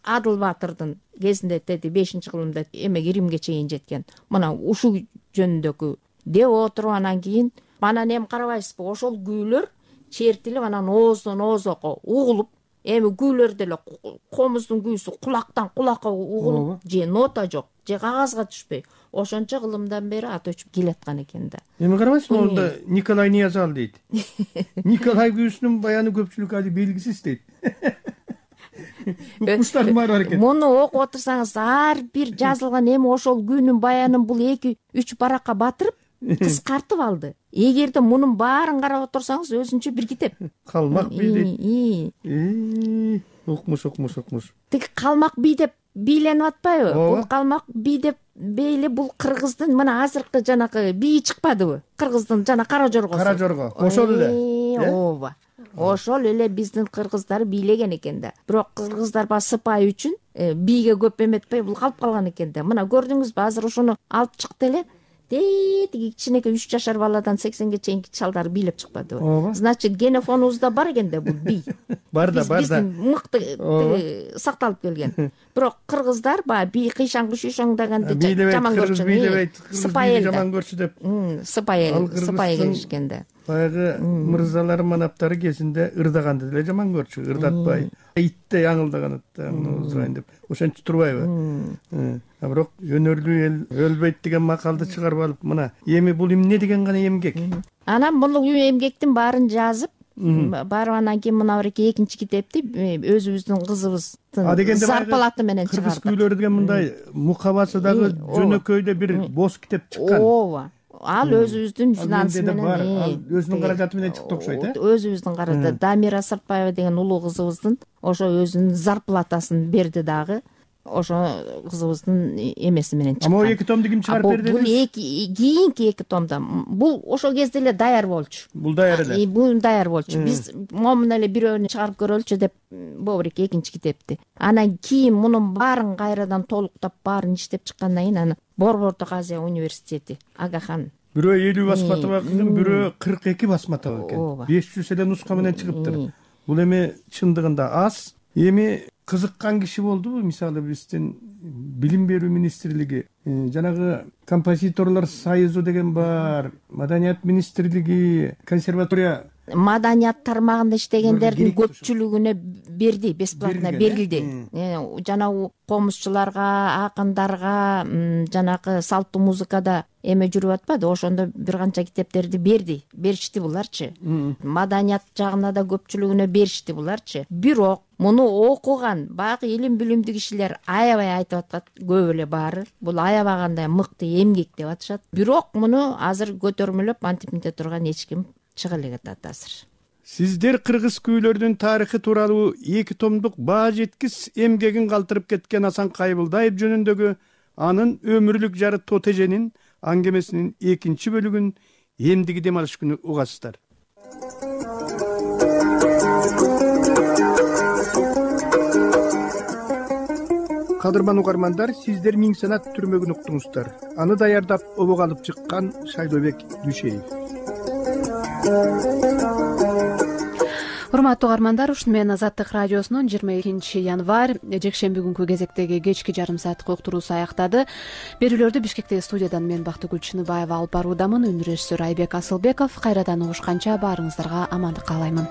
Адыл Баатырдын кезинде тети бешинчи кылымда эмеге Римге чейин жеткен. Мына ушул жөнүндөгү деп отуруп, анан кийин анан эми карабайсызбы, ошол күйлөр чертилип, анан ооздон оозго угулуп, эми күйлөр деле комуздун күүсү кулактан кулакка угулуп, же нота жок, же кагазга түшпөй, ошончо кылымдан бери ат өчүп келаткан экен да. Эми карабайсызбы, онда Николай Ниязал дейт. Николай күүсүнүн баяны көпчүлүк али белгисиз дейт. Укмуштардын баары бар экен. Муну окуп отурсаңыз, ар бир жазылган эми ошол күнүн баянын бул эки үч баракка батырып, кыскартып алды. Эгерде мунун баарын карап отурсаңыз, өзүнчө бир китеп. Калмак бий дейт. Укмуш, укмуш, укмуш. Тиги калмак бий деп бийленип атпайбы? Бул калмак бий деп бейли бул кыргыздын мына азыркы жанакы бийи чыкпадыбы? Кыргыздын жана Кара Жоргосу. Кара Жорго. Ошол эле. Ооба. Ошол эле биздин кыргыздар бийлеген экен да. Бирок кыргыздар ба сыпайы үчүн бийге көп эметпей бул калып калган экен да. Мына көрдүңүзбү, азыр ошону алып чыкты эле. Тиги кичинекей үч жашар баладан сексенге чейинки чалдар бийлеп чыкпадыбы? Значит, генофонубузда бар экен да бул бий. Бар да, бар да. Биздин мыкты сакталып келген. Бирок кыргыздар баягы бий кыйшаңгы шүйшөңдөгөндү жаман көрчү. Бийлебейт, кыргыз бийди жаман көрчү деп. Сыпайы, сыпайы келишкен да. Баягы мырзалар, манаптары кезинде ырдаганды деле жаман көрчү, ырдатпай. Иттей аңылдаган узгайын деп. Ошентип турбайбы? А бирок өнөрлүү эл өлбөйт деген макалды чыгарып алып, мына эми бул эмне деген гана эмгек. Анан бул эмгектин баарын жазып, барып анан кийин мына бирки экинчи китепти өзүбүздүн кызыбыздын зарплаты менен чыгардык. Кыргыз күйлөрү деген мындай мукабасы дагы жөнөкөйдө бир бос китеп чыккан. Ооба. Ал өзүбүздүн финансы менен, өзүнүн каражаты менен чыкты окшойт, э? Өзүбүздүн каражаты. Дамира Сыртбаева деген улуу кызыбыздын ошо өзүнүн зарплатасын берди дагы. Ошо кызыбыздын эмеси менен чыккан. Ама эки томду ким чыгарып берди? Бул эки кийинки эки томда. Бул ошол кезде эле даяр болчу. Бул даяр эле. Бул даяр болчу. Биз момун эле бирөөнү чыгарып көрөлүчү деп бобурик экинчи китепти. Анан кийин мунун баарын кайрадан толуктап, баарын иштеп чыккандан кийин аны Борбордук Азия университети Агахан. Бирөө элүү басматова кылган, бирөө кырк эки басматова экен. беш жүз эле нуска менен чыгыптыр. Бул эми чындыгында аз. Эми кызыккан киши болдубу? Мисалы, биздин билим берүү министрлиги, жанагы композиторлор союзу деген бар, маданият министрлиги, консерватория, маданият тармагында иштегендердин көпчүлүгүнө берди, бесплатно берилди. Жана комузчуларга, акындарга, жанакы салттуу музыкада эме жүрүп атпады, ошондо бир канча китептерди берди, беришти буларчы. Маданият жагына да көпчүлүгүнө беришти буларчы. Бирок муну окуган баягы илим билимдүү кишилер аябай айтып атат, көп эле баары. Бул аябагандай мыкты эмгек деп атышат. Бирок муну азыр көтөрмөлөп антип мынте турган эч ким чыга элек атат азыр. Сиздер кыргыз күйлөрүнүн тарыхы тууралуу эки томдук баа жеткис эмгегин калтырып кеткен Асан Кайбылдаев жөнүндөгү анын өмүрлүк жары Тотеженин аңгемесинин экинчи бөлүгүн эмдиги дем алыш күнү угасыздар. кадырман угармандар, сиздер миң санат түрмөгүн уктуңуздар. Аны даярдап обок алып чыккан Шайдобек Дүйшеев. Урматтуу угармандар, ушуну менен Азаттык радиосунун жыйырма экинчи январь жекшемби күнкү кезектеги кечки жарым сааттык уктуруусу аяктады. Берүүлөрдү Бишкектеги студиядан мен Бактыгүл Чыныбаева алып баруудамын. Үн режиссер Айбек Асылбеков. Кайрадан угушканча баарыңыздарга амандык каалаймын.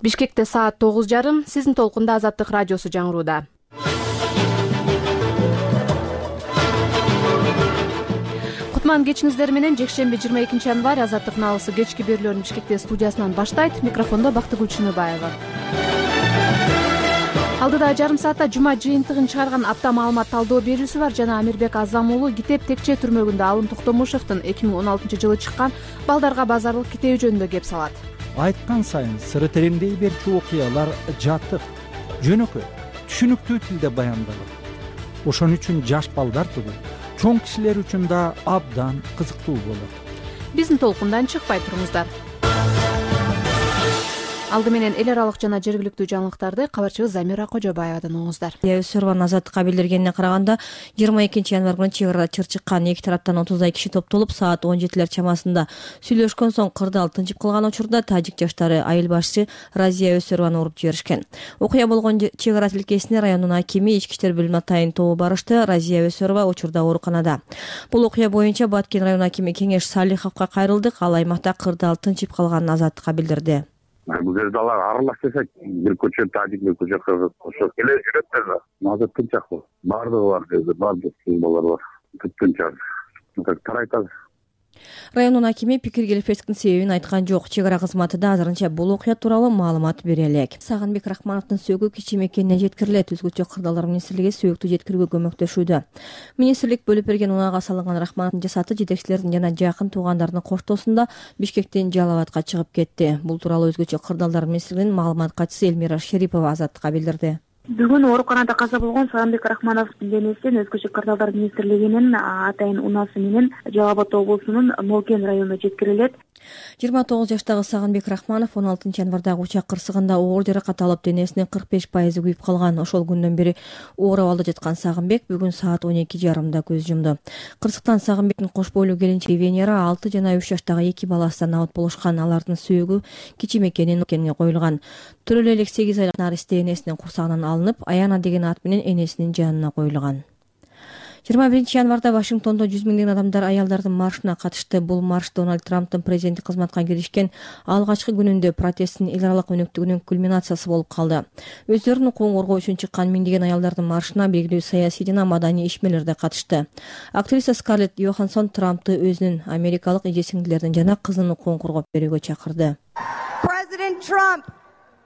Бишкекте саат тогуз жарым, сиздин толкунда Азаттык радиосу жаңырууда. Кутман кечиңиздер менен жекшемби жыйырма экинчи январь Азаттык налысы кечки берүүлөрүн Бишкекте студиясынан баштайт. Микрофондо Бактыгүл Чыныбаева. Алдыда жарым саатта жума жыйынтыгын чыгарган апта маалымат талдоо берүүсү бар жана Амирбек Азам уулу Китеп Текче түрмөгүндө Алым Токтомушевдин эки миң он алтынчы жылы чыккан балдарга базарлык китеби жөнүндө кеп салат. Айткан сайын сыры тереңдей берчү окуялар жатык, жөнөкөй, түшүнүктүү тилде баяндалат. Ошон үчүн жаш балдар түгүл, чоң кишилер үчүн да абдан кызыктуу болот. Биздин толкундан чыкпай туруңуздар. Алды менен эл аралык жана жергиликтүү жаңылыктарды кабарчыбыз Замира Кожобаевадан угуңуздар. Өсөрбан Азаттыкка билдиргенине караганда жыйырма экинчи январь күнү чек арада чыр чыккан эки тараптан отуздай киши топтолуп саат он жетилер чамасында сүйлөшкөн соң кырдаал тынчып калган учурда тажик жаштары айыл башчы Разия Өсөрбаны уруп жиберишкен. Окуя болгон чек ара тилкесине райондун акими ички иштер бөлүмүнө атайын тобу барышты. Разия Өсөрба учурда ооруканада. Бул окуя боюнча Баткен район акими Кеңеш Салиховго кайрылдык. Ал аймакта кырдаал тынчып калганын Азаттыкка билдирди. Бул жерде алар аралашсак, бир көчө тажик, бир көчө кыргыз, ошо келе жүрөт да. Азыр тынчак бол. Бардыгы бар жерде, бардык балдар бар. Тынчак. Как тарайтат. Райондун акими пикир келишпестиктин себебин айткан жок. Чек ара кызматы да азырынча бул окуя тууралуу маалымат бере элек. Сагынбек Рахмановдун сөөгү кичи мекенине жеткирилет. Өзгөчө кырдаалдар министрлиги сөөктү жеткирүүгө көмөктөшүүдө. Министрлик бөлүп берген унаага салынган Рахмановдун жасаты жетекчилердин жана жакын туугандардын коштоосунда Бишкектен Жалал абадка чыгып кетти. Бул тууралуу өзгөчө кырдаалдар министрлигинин маалымат катчысы Элмира Шерипова Азаттыкка билдирди. Бүгүн ооруканада каза болгон Сагынбек Рахмановдун денесин Өзгөчө кырдаалдар министрлигинин атайын унаасы менен Жалал Абад облусунун Молкен районуна жеткирилет. жыйырма тогуз жаштагы Сагынбек Рахманов он алтынчы январдагы учак кырсыгында оор жаракат алып денесинин кырк беш пайызы күйүп калган. Ошол күндөн бери оор абалда жаткан Сагынбек бүгүн саат он эки жарымда көз жумду. Кырсыктан Сагынбектин кош бойлуу келинчеги Венера алты жана үч жаштагы эки баласынан абат болушкан. Алардын сөөгү кичи мекенин мекенге коюлган. Төрөлө элек сегиз айлык наристе энесинин курсагынан алынып, Аяна деген ат менен энесинин жанына коюлган. жыйырма биринчи январда Вашингтондо жүз миңдеген адамдар аялдардын маршына катышты. Бул марш Дональд Трамптын президенттик кызматка киришкен алгачкы күнүндө протесттин эл аралык өнөктүгүнүн кульминациясы болуп калды. Өздөрүнүн укугун коргоо үчүн чыккан миңдеген аялдардын маршына белгилүү саясий жана маданий ишмерлер да катышты. Актриса Скарлетт Йоханссон Трампты өзүнүн америкалык эже сиңдилердин жана кызынын укугун коргоп берүүгө чакырды. President Trump,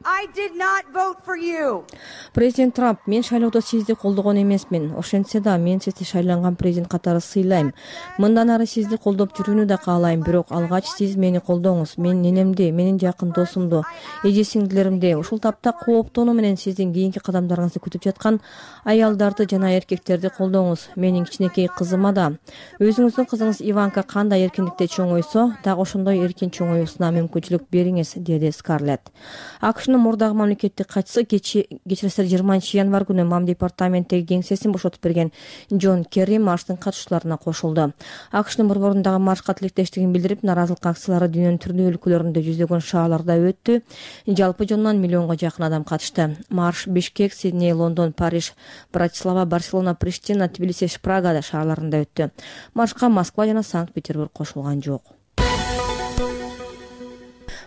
I did not vote for you. Президент Трамп, мен шайлоодо сизди колдогон эмесмин. Ошентсе да мен сизди шайланган президент катары сыйлайм. Мындан ары сизди колдоп жүрүүнү да каалайм, бирок алгач сиз мени колдоңуз. Мен ненемди, менин жакын досумду, эже сиңдилеримди, ушул тапта кооптонуу менен сиздин кийинки кадамдарыңызды күтүп жаткан аялдарды жана эркектерди колдоңуз. Менин кичинекей кызыма да. Өзүңүздүн кызыңыз Иванка кандай эркиндикте чоңойсо, так ошондой эркин чоңоюусуна мүмкүнчүлүк бериңиз, деди Скарлетт. АКШнын мурдагы мамлекеттик катчысы кечиресиз жыйырманчы январь күнү мам департаменттеги кеңсесин бошотуп берген Джон Керри марштын катышуучуларына кошулду. АКШнын борборундагы маршка тилектештигин билдирип, наразылык акциялары дүйнөнүн түрлүү өлкөлөрүндө жүздөгөн шаарларда өттү. Жалпы жонунан миллионго жакын адам катышты. Марш Бишкек, Сидней, Лондон, Париж, Братислава, Барселона, Приштина, Тбилиси, Прага шаарларында өттү. Маршка Москва жана Санкт-Петербург кошулган жок.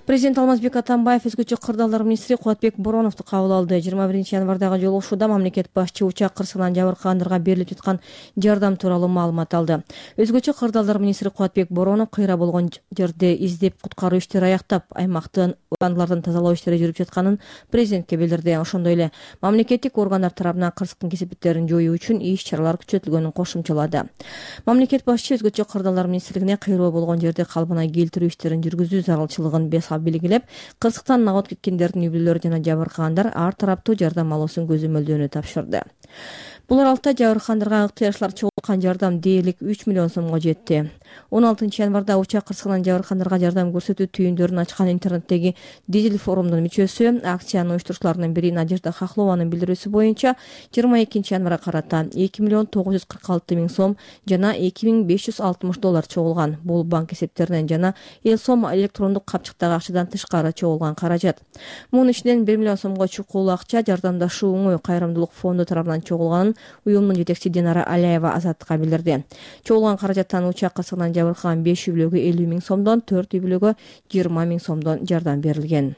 Президент Алмазбек Атамбаев өзгөчө кырдаалдар министри Кубатбек Бороновду кабыл алды. жыйырма биринчи январдагы жолугушууда мамлекет башчы учак кырсыгынан жабыркагандарга берилип жаткан жардам тууралуу маалымат алды. Өзгөчө кырдаалдар министри Кубатбек Боронов кыйра болгон жерде издеп куткаруу иштери аяктап, аймактын андылардын тазалоо иштери жүрүп жатканын президентке билдирди. Ошондой эле мамлекеттик органдар тарабынан кырсыктын кесепеттерин жоюу үчүн иш-чаралар күчөтүлгөнүн кошумчалады. Мамлекет башчы өзгөчө кырдаалдар министрлигине кыйроо болгон жерди калыбына келтирүү иштерин жүргүзүү зарылчылыгын бес укугунда белгилеп, кырсыктан агып кеткендердин үй бүлөлөрү жана жабыркагандар ар тараптуу жардам алуусун көзөмөлдөөнү тапшырды. Бул аралыкта жабыркагандарга ыктыярчылар чогулткан жардам дээрлик үч миллион сомго жетти. он алтынчы январда учак кырсыгынан жабыркагандарга жардам көрсөтүү түйүндөрүн ачкан интернеттеги Дизель форумунун мүчөсү, акциянын уюштуруучуларынын бири Надежда Хохлованын билдирүүсү боюнча жыйырма экинчи январга карата эки миллион тогуз жүз кырк алты миң сом жана эки миң беш жүз алтымыш доллар чогулган. Бул банк эсептеринен жана эл сом электрондук капчыктагы акчадан тышкары чогулган каражат. Мунун ичинен бир миллион сомго чукул акча жардамдашуу оңой кайрымдуулук фонду тарабынан чогулганын уюмдун жетекчиси Динара Аляева Азаттыкка билдирди. Чогулган каражаттан учак кырсыгынан жабыркаган беш үй бүлөгө элүү миң сомдон, төрт үй бүлөгө жыйырма миң сомдон жардам берилген.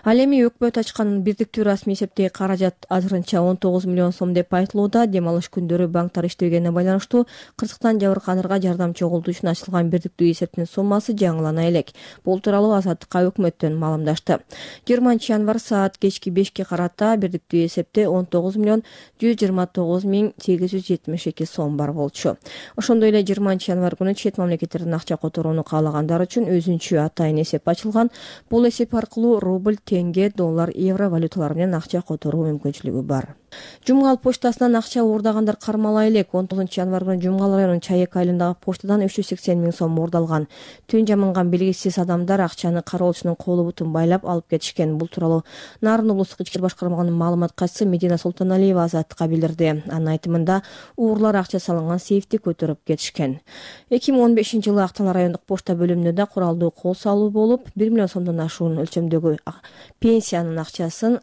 Ал эми өкмөт ачкан бирдиктүү расмий эсептеги каражат азырынча он тогуз миллион сом деп айтылууда. Дем алыш күндөрү банктар иштебегенине байланыштуу кырсыктан жабыркагандарга жардам чогултуу үчүн ачылган бирдиктүү эсептин суммасы жаңылана элек. Бул тууралуу Азаттыкка өкмөттөн маалымдашты. жыйырманчы январ саат кечки бешке карата бирдиктүү эсепте он тогуз миллион жүз жыйырма тогуз миң сегиз жүз жетимиш эки сом бар болчу. Ошондой эле жыйырманчы январ күнү чет мамлекеттерден акча которууну каалагандар үчүн өзүнчө атайын эсеп ачылган. Бул эсеп аркылуу рубль, тенге, доллар, евро валюталары менен акча которуу мүмкүнчүлүгү бар. Жумгал почтасынан акча уурдагандар кармала элек. он тогузунчу январ күнү Жумгал районунун Чайек айылындагы почтадан үч жүз сексен миң сом уурдалган. Түн жамынган белгисиз адамдар акчаны кароолчунун колу бутун байлап алып кетишкен. Бул тууралуу Нарын облустук ички башкармагынын маалымат катчысы Медина Султаналиева Азаттыкка билдирди. Анын айтымында уурлар акча салынган сейфти көтөрүп кетишкен. эки миң он бешинчи жылы Актал райондук почта бөлүмүндө да куралдуу кол салуу болуп, бир миллион сомдон ашуун өлчөмдөгү пенсиянын акчасын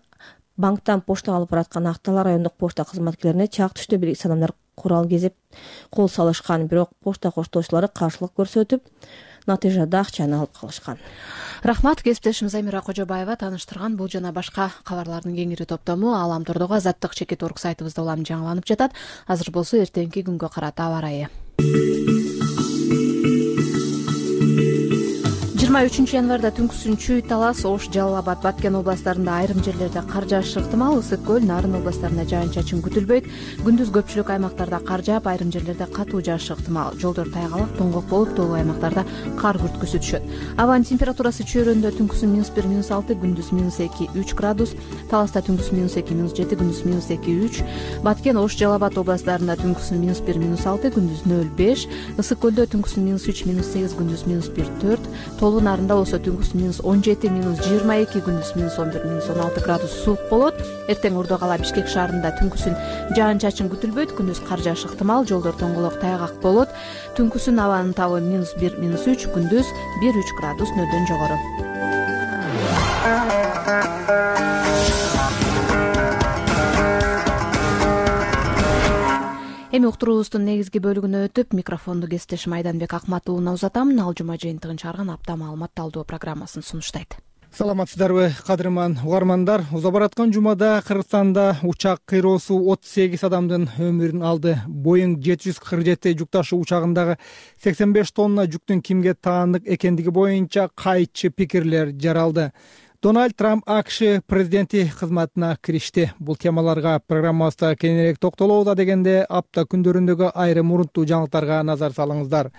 банктан поштага алып бараткан Актал райондук почта кызматкерлерине чак түштө белгисиз адамдар курал кезип кол салышкан. Бирок почта коштоочулары каршылык көрсөтүп, натыйжада акчаны алып калышкан. Рахмат, кесиптешим Замира Кожобаева тааныштырган бул жана башка кабарлардын кеңири топтому Алам Тордогу Азаттык чекит орг сайтыбызда улам жаңыланып жатат. Азыр болсо эртеңки күнгө карата аба ырайы. жыйырма үчүнчү январда түнкүсүн Чүй, Талас, Ош, Жалал Абад, Баткен областарында айрым жерлерде кар жаашы ыктымал. Ысык көл, Нарын областарында жаан-чачын күтүлбөйт. Күндүз көпчүлүк аймактарда кар жаап, айрым жерлерде катуу жаашы ыктымал. Жолдор тайгалак, тоңгок болуп, тоолуу аймактарда кар күрткүсү түшөт. Абанын температурасы Чөйрөндө түнкүсүн минус бир, минус алты, күндүз минус эки, үч градус, Таласта түнкүс минус эки, минус жети, күндүз минус эки, үч, Баткен, Ош, Жалал Абад областарында түнкүсүн минус бир, минус алты, күндүз нөл беш, Ысык көлдө түнкүсүн минус үч, минус сегиз, күндүз минус бир, төрт, Тоолуу Нарында болсо түнкүсүн минус он жети, минус жыйырма эки, күндүз минус он бир, минус он алты градус суук болот. Эртең Ордо кала Бишкек шаарында түнкүсүн жаан-чачын күтүлбөйт, күндүз кар жаашы ыктымал, жолдор тоңголок тайгак болот. Түнкүсүн абанын табы минус бир, минус үч, күндүз бир, үч градус нөлдөн жогору. Эми уктуруубуздун негизги бөлүгүнө өтүп, микрофонду кесиптешим Айданбек Акматовна узатам. Ал жума жыйынтыгын чыгарган апта маалымат талдоо программасын сунуштайт. Саламатсыздарбы, кадырман угармандар. Уза бараткан жумада Кыргызстанда учак кыйроосу отуз сегиз адамдын өмүрүн алды. Боинг жети жүз кырк жети жүк ташуу учагындагы сексен беш тонна жүктүн кимге таандык экендиги боюнча кайчы пикирлер жаралды. Дональд Трамп АКШ президенти кызматына киришти. Бул темаларга программабызда кеңирээк токтолобуз дегенде апта күндөрүндөгү айрым урунттуу жаңылыктарга назар салыңыздар.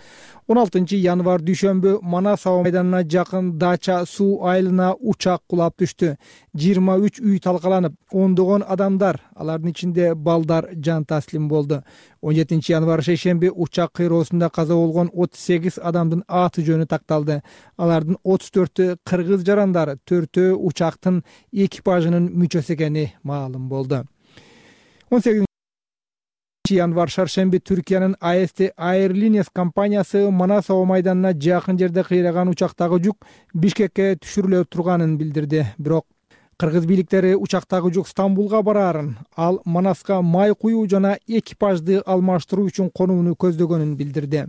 он алтынчы январ дүйшөмбү Манас аба майданына жакын Дача суу айылына учак кулап түштү. жыйырма үч үй талкаланып, ондогон адамдар, алардын ичинде балдар жан таслим болду. он жетинчи январ шейшемби учак кыйроосунда каза болгон отуз сегиз адамдын аты жөнү такталды. Алардын отуз төртү кыргыз жарандары, төртөө учактын экипажынын мүчөсү экени маалым болду. он сегизинчи январ шаршемби Түркиянын А С Т Airlines компаниясы Манас аба майданына жакын жерде кыйраган учактагы жүк Бишкекке түшүрүлө турганын билдирди. Бирок кыргыз бийликтери учактагы жүк Стамбулга бараарын, ал Манаска май куюу жана экипажды алмаштыруу үчүн конууну көздөгөнүн билдирди.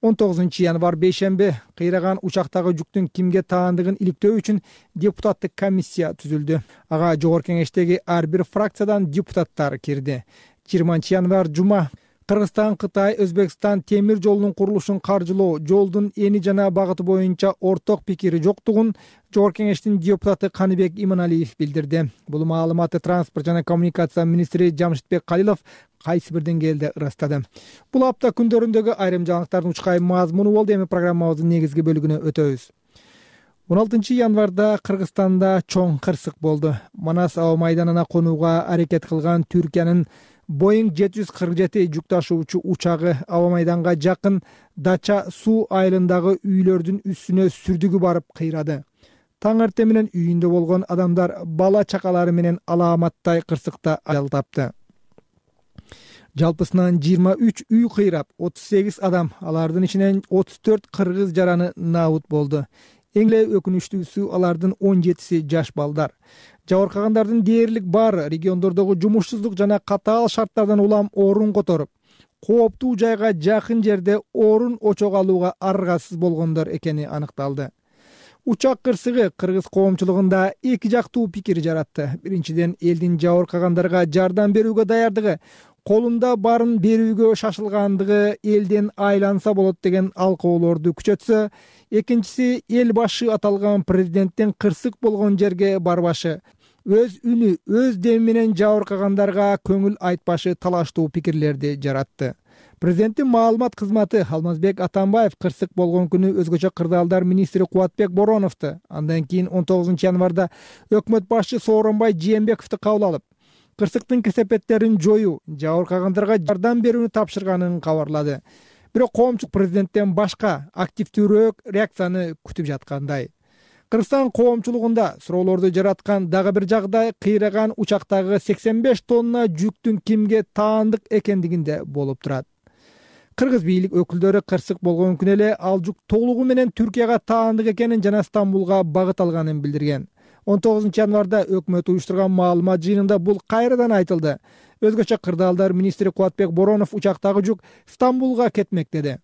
он тогузунчу январ бейшемби кыйраган учактагы жүктүн кимге таандыгын иликтөө үчүн депутаттык комиссия түзүлдү. Ага жогорку кеңештеги ар бир фракциядан депутаттар кирди. жыйырманчы январ жума Кыргызстан, Кытай, Өзбекстан темир жолунун курулушун каржылоо, жолдун эни жана багыты боюнча орток пикири жоктугун жогорку кеңештин депутаты Каныбек Иманалиев билдирди. Бул маалыматты транспорт жана коммуникация министри Жамшитбек Калилов кайсы бир деңгээлде ырастады. Бул апта күндөрүндөгү айрым жаңылыктардын учкай мазмуну болду. Эми программабыздын негизги бөлүгүнө өтөбүз. он алтынчы январда Кыргызстанда чоң кырсык болду. Манас аба майданына конууга аракет кылган Түркиянын Боинг жети жүз кырк жети жүк ташуучу учагы аба майданга жакын Дача суу айылындагы үйлөрдүн үстүнө сүрдүгү барып кыйрады. Таң эртең менен үйүндө болгон адамдар бала чакалары менен алааматтай кырсыкта ажал тапты. Жалпысынан жыйырма үч үй кыйрап, отуз сегиз адам, алардын ичинен отуз төрт кыргыз жараны наабут болду. Эң эле өкүнүчтүүсү алардын он жетиси жаш балдар. Жабыркагандардын дээрлик баары региондордогу жумушсуздук жана катаал шарттардан улам орун которуп, кооптуу жайга жакын жерде орун очого алууга аргасыз болгондор экени аныкталды. Учак кырсыгы кыргыз коомчулугунда эки жактуу пикир жаратты. Биринчиден, элдин жабыркагандарга жардам берүүгө даярдыгы, колунда барын берүүгө шашылгандыгы элден айланса болот деген алкоолорду күчөтсө, экинчиси эл башы аталган президенттин кырсык болгон жерге барбашы, өз үнү, өз деми менен жабыркагандарга көңүл айтпашы талаштуу пикирлерди жаратты. Президенттин маалымат кызматы Алмазбек Атамбаев кырсык болгон күнү өзгөчө кырдаалдар министри Кубатбек Бороновду, андан кийин он тогузунчу январда өкмөт башчы Сооронбай Жээнбековду кабыл алып, кырсыктын кесепеттерин жоюу, жабыркагандарга жардам берүүнү тапшырганын кабарлады. Бирок коомчулук президенттен башка активдүүрөөк реакцияны күтүп жаткандай. Кыргызстан коомчулугунда суроолорду жараткан дагы бир жагдай кыйраган учактагы сексен беш тонна жүктүн кимге таандык экендигинде болуп турат. Кыргыз бийлик өкүлдөрү кырсык болгон күнү эле ал жүк толугу менен Түркияга таандык экенин жана Стамбулга багыт алганын билдирген. он тогузунчу январда өкмөт уюштурган маалымат жыйынында бул кайрадан айтылды. Өзгөчө кырдаалдар министри Кубатбек Боронов учактагы жүк Стамбулга кетмек деди.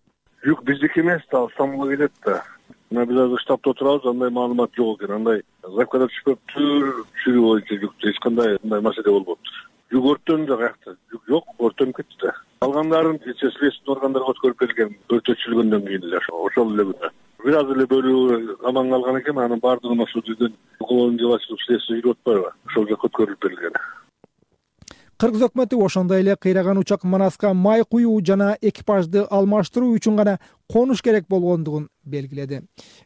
Жүк биздики эмес да, Стамбулга кетет да. Мына биз азыр штабта отурабыз, андай маалымат жок экен. Андай заявкада түшпөптүр, түшүрүү боюнча жүктү эч кандай мындай маселе болбоптур. Жүк өрттөндү да каякта? Жүк жок, өрттөнүп кетти да. Калгандарын следственный органдарга өткөрүп берилген, өртөтүлгөндөн кийин эле ошол эле күнү. Бир аз эле бөлүгү аман калган экен, анын баардыгын ошол жерден уголовный дело ачылып следствие жүрүп атпайбы? Ошол жака өткөрүлүп берилген. Кыргыз өкмөтү ошондой эле кыйраган учак Манаска май куюу жана экипажды алмаштыруу үчүн гана конуш керек болгондугун белгиледи.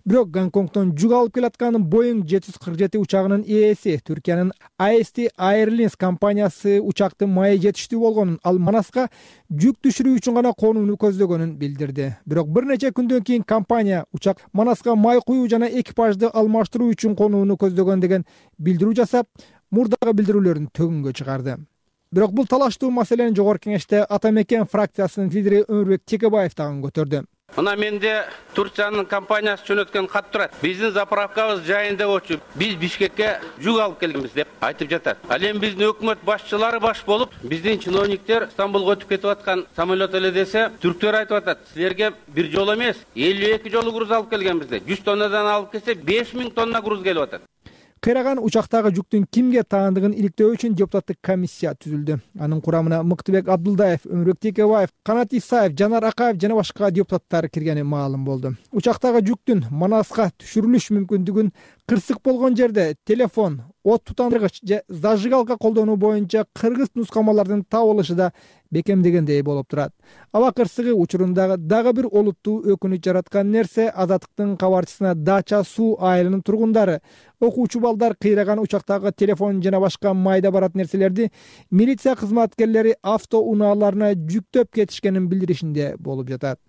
Бирок Гонконгдон жүк алып келаткан Боинг жети жүз кырк жети учагынын ээси Түркиянын эй эс ти Airlines компаниясы учактын майы жетиштүү болгонун, ал Манаска жүк түшүрүү үчүн гана конууну көздөгөнүн билдирди. Бирок бир нече күндөн кийин компания учак Манаска май куюу жана экипажды алмаштыруу үчүн конууну көздөгөн деген билдирүү жасап, мурдагы билдирүүлөрүн төгүнгө чыгарды. Бирок бул талаштуу маселени жогорку кеңеште Ата Мекен фракциясынын лидери Өмүрбек Текебаев дагы көтөрдү. Мына менде Турциянын компаниясы жөнөткөн кат турат. Биздин заправкабыз жайында болчу. Биз Бишкекке жүк алып келгенбиз деп айтып жатат. Ал эми биздин өкмөт башчылары баш болуп, биздин чиновниктер Стамбулга өтүп кетип аткан самолет эле десе, түрктөр айтып атат. Силерге бир жолу эмес, элүү эки жолу груз алып келгенбиз деп. жүз тоннадан алып келсе беш миң тонна груз келип атат. Кыйраган учактагы жүктүн кимге таандыгын иликтөө үчүн депутаттык комиссия түзүлдү. Анын курамына Мыктыбек Абдулдаев, Өмүрбек Текебаев, Канат Исаев, Жанар Акаев жана башка депутаттар киргени маалым болду. Учактагы жүктүн Манаска түшүрүлүш мүмкүндүгүн кырсык болгон жерде телефон, от тутандыргыч же зажигалка колдонуу боюнча кыргыз нускамалардын табылышы да бекемдегендей болуп турат. Аба кырсыгы учурундагы дагы бир олуттуу өкүнүч жараткан нерсе Азаттыктын кабарчысына Дача суу айылынын тургундары окуучу балдар кыйраган учактагы телефон жана башка майда барат нерселерди милиция кызматкерлери автоунааларына жүктөп кетишкенин билдиришинде болуп жатат.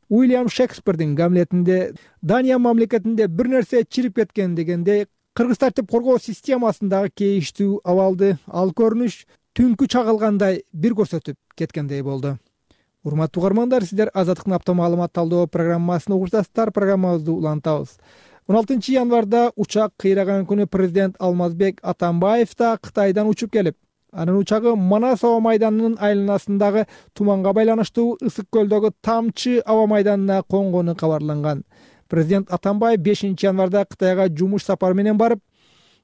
Уильям Шекспирдин Гамлетинде Дания мамлекетинде бир нерсе чирип кеткен дегенде кыргыз тартип коргоо системасындагы кейиштүү абалды ал көрүнүш түнкү чагылгандай бир көрсөтүп кеткендей болду. Урматтуу угармандар, сиздер Азаттыктын апта маалымат талдоо программасын угуп жатасыздар. Программабызды улантабыз. он алтынчы январда учак кыйраган күнү президент Алмазбек Атамбаев да Кытайдан учуп келип, анын учагы Манас аба майданынын айланасындагы туманга байланыштуу Ысык көлдөгү Тамчы аба майданына конгону кабарланган. Президент Атамбаев бешинчи январда Кытайга жумуш сапары менен барып,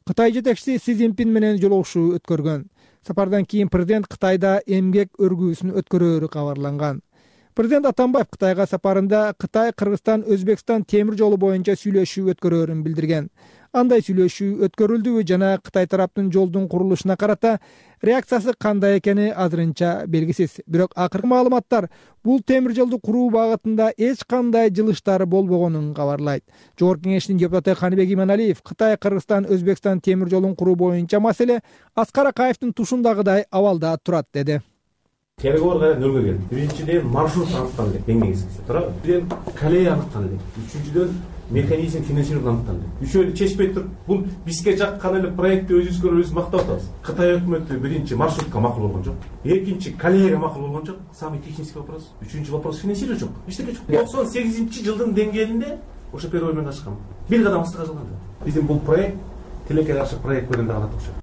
Кытай жетекчиси Си Цзиньпин менен жолугушуу өткөргөн. Сапардан кийин президент Кытайда эмгек өргүүсүн өткөрөөрү кабарланган. Президент Атамбаев Кытайга сапарында Кытай, Кыргызстан, Өзбекстан темир жолу боюнча сүйлөшүү өткөрөөрүн билдирген. андай сүйлөшүү өткөрүлдүбү жана Кытай тараптын жолдун курулушуна карата реакциясы кандай экени азырынча белгисиз. Бирок акыркы маалыматтар бул темир жолду куруу багытында эч кандай жылыштар болбогонун кабарлайт. Жогорку кеңештин депутаты Каныбек Иманалиев Кытай, Кыргызстан, Өзбекстан темир жолун куруу боюнча маселе Аскар Акаевдин тушундагыдай абалда турат деди. Переговор каян нөлгө келди. Биринчиден маршрут аныкталды элек, деңгейсиз. Туурабы? Бирден колея аныкталды элек. Үчүнчүдөн механизм финансирование аныкталды. Үчөөлү чечпей туруп, бул бизге жаккан эле проектти өзүбүзгө өзүбүз мактап атабыз. Кытай өкмөтү биринчи маршрутка макул болгон жок. Экинчи колеяга макул болгон жок. Самый технический вопрос. Үчүнчү вопрос финансирование жок. Эчтеке жок. токсон сегизинчи жылдын деңгээлинде ошо переговор менен ачкан. Бир кадам астыга калган жок. Биздин бул проект тилекке каршы проект көргөндө гана окшойт.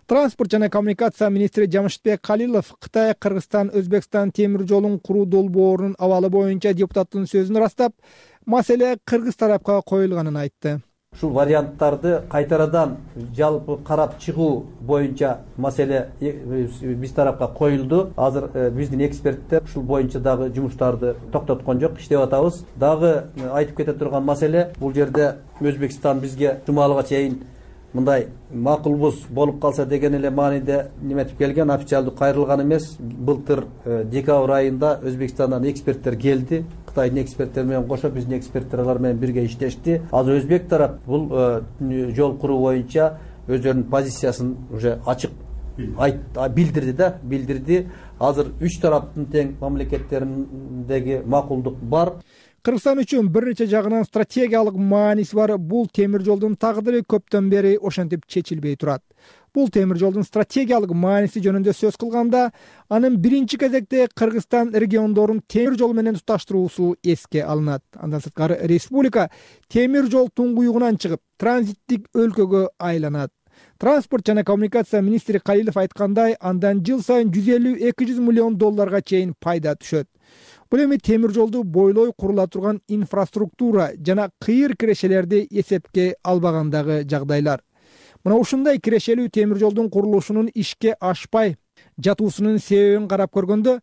Транспорт жана коммуникация министри Жамшитбек Калилов Кытай, Кыргызстан, Өзбекстан темир жолун куруу долбоорунун абалы боюнча депутаттын сөзүн ырастап, маселе кыргыз тарапка коюлганын айтты. Ушул варианттарды кайтарадан жалпы карап чыгуу боюнча маселе биз тарапка коюлду. Азыр биздин эксперттер ушул боюнча дагы жумуштарды токтоткон жок, иштеп атабыз. Дагы айтып кете турган маселе, бул жерде Өзбекстан бизге жумалыга чейин мындай макулбуз болуп калса деген эле мааниде неметип келген, официалдуу кайрылган эмес. Былтыр декабрь айында Өзбекстандан эксперттер келди. Кытайдын эксперттери менен кошо биздин эксперттер алар менен бирге иштешти. Азыр өзбек тарап бул жол куруу боюнча өздөрүнүн позициясын уже ачык билдирди да, билдирди. Азыр үч тараптын тең мамлекеттериндеги макулдук бар. Кыргызстан үчүн бир нече жагынан стратегиялык мааниси бар бул темир жолдун тагдыры көптөн бери ошентип чечилбей турат. Бул темир жолдун стратегиялык мааниси жөнүндө сөз кылганда, анын биринчи кезекте Кыргызстан региондорун темир жол менен туташтыруусу эске алынат. Андан сырткары республика темир жол туңгуюгунан чыгып, транзиттик өлкөгө айланат. Транспорт жана коммуникация министри Калилов айткандай, андан жыл сайын жүз элүү — эки жүз миллион долларга чейин пайда түшөт. Бул эми темир жолду бойлой курула турган инфраструктура жана кыйыр кирешелерди эсепке албагандагы жагдайлар. Мына ушундай кирешелүү темир жолдун курулушунун ишке ашпай жатуусунун себебин карап көргөндө,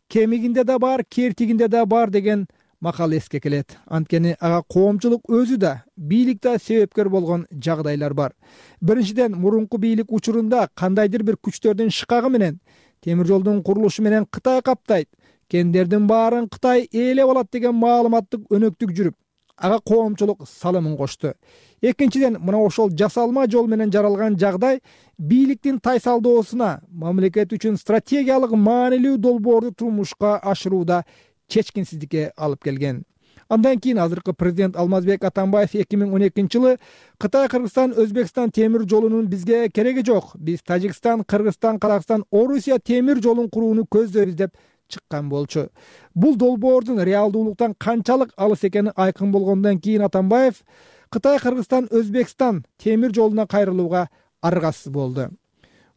кемигинде да бар, кертигинде да бар деген макал эске келет. Анткени ага коомчулук өзү да, бийлик да себепкер болгон жагдайлар бар. Биринчиден, мурунку бийлик учурунда кандайдыр бир күчтөрдүн шыкагы менен темир жолдун курулушу менен Кытай каптайт, кендердин баарын Кытай ээлеп алат деген маалыматтык өнөктүк жүрүп, ага коомчулук салымын кошту. Экинчиден, мына ошол жасалма жол менен жаралган жагдай бийликтин тайсалдоосуна, мамлекет үчүн стратегиялык маанилүү долбоорду турмушка ашырууда чечкинсиздикке алып келген. Андан кийин азыркы президент Алмазбек Атамбаев эки миң он экинчи жылы Кытай, Кыргызстан, Өзбекстан темир жолунун бизге кереги жок. Биз Тажикстан, Кыргызстан, Казакстан, Орусия темир жолун курууну көздөйбүз деп чыккан болчу. Бул долбоордун реалдуулуктан канчалык алыс экени айкын болгондон кийин Атамбаев Кытай, Кыргызстан, Өзбекстан темир жолуна кайрылууга аргасыз болду.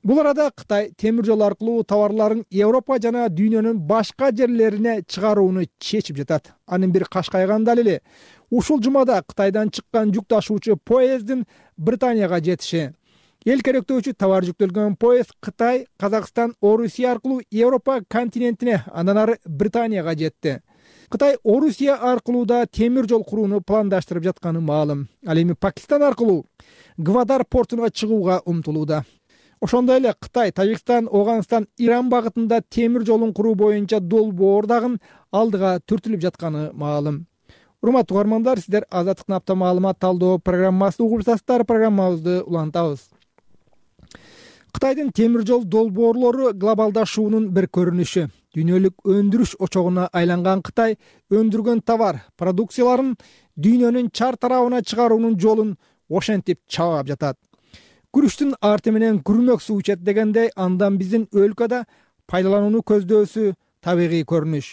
Бул арада Кытай темир жол аркылуу товарларын Европа жана дүйнөнүн башка жерлерине чыгарууну чечип жатат. Анын бир кашкайган далили ушул жумада Кытайдан чыккан жүк ташуучу поезддин Британияга жетиши. Эл керектөөчү товар жүктөлгөн поезд Кытай, Казакстан, Орусия аркылуу Европа континентине, андан ары Британияга жетти. Кытай Орусия аркылуу да темир жол курууну пландаштырып жатканы маалым. Ал эми Пакистан аркылуу Гвадар портуна чыгууга умтулууда. Ошондой эле Кытай, Тажикстан, Афганистан, Иран багытында темир жолун куруу боюнча долбоор дагы алдыга түртүлүп жатканы маалым. Урматтуу угармандар, сиздер Азаттыктын апта маалымат талдоо программасын угуп жатасыздар. Программабызды улантабыз. Кытайдын темир жол долбоорлору глобалдашуунун бир көрүнүшү. Дүйнөлүк өндүрүш очогуна айланган Кытай өндүргөн товар, продукцияларын дүйнөнүн чар тарабына чыгаруунун жолун ошентип чаап жатат. Күрүштүн арты менен күрмөк суу ичет дегендей, андан биздин өлкөдө пайдаланууну көздөсү табигый көрүнүш.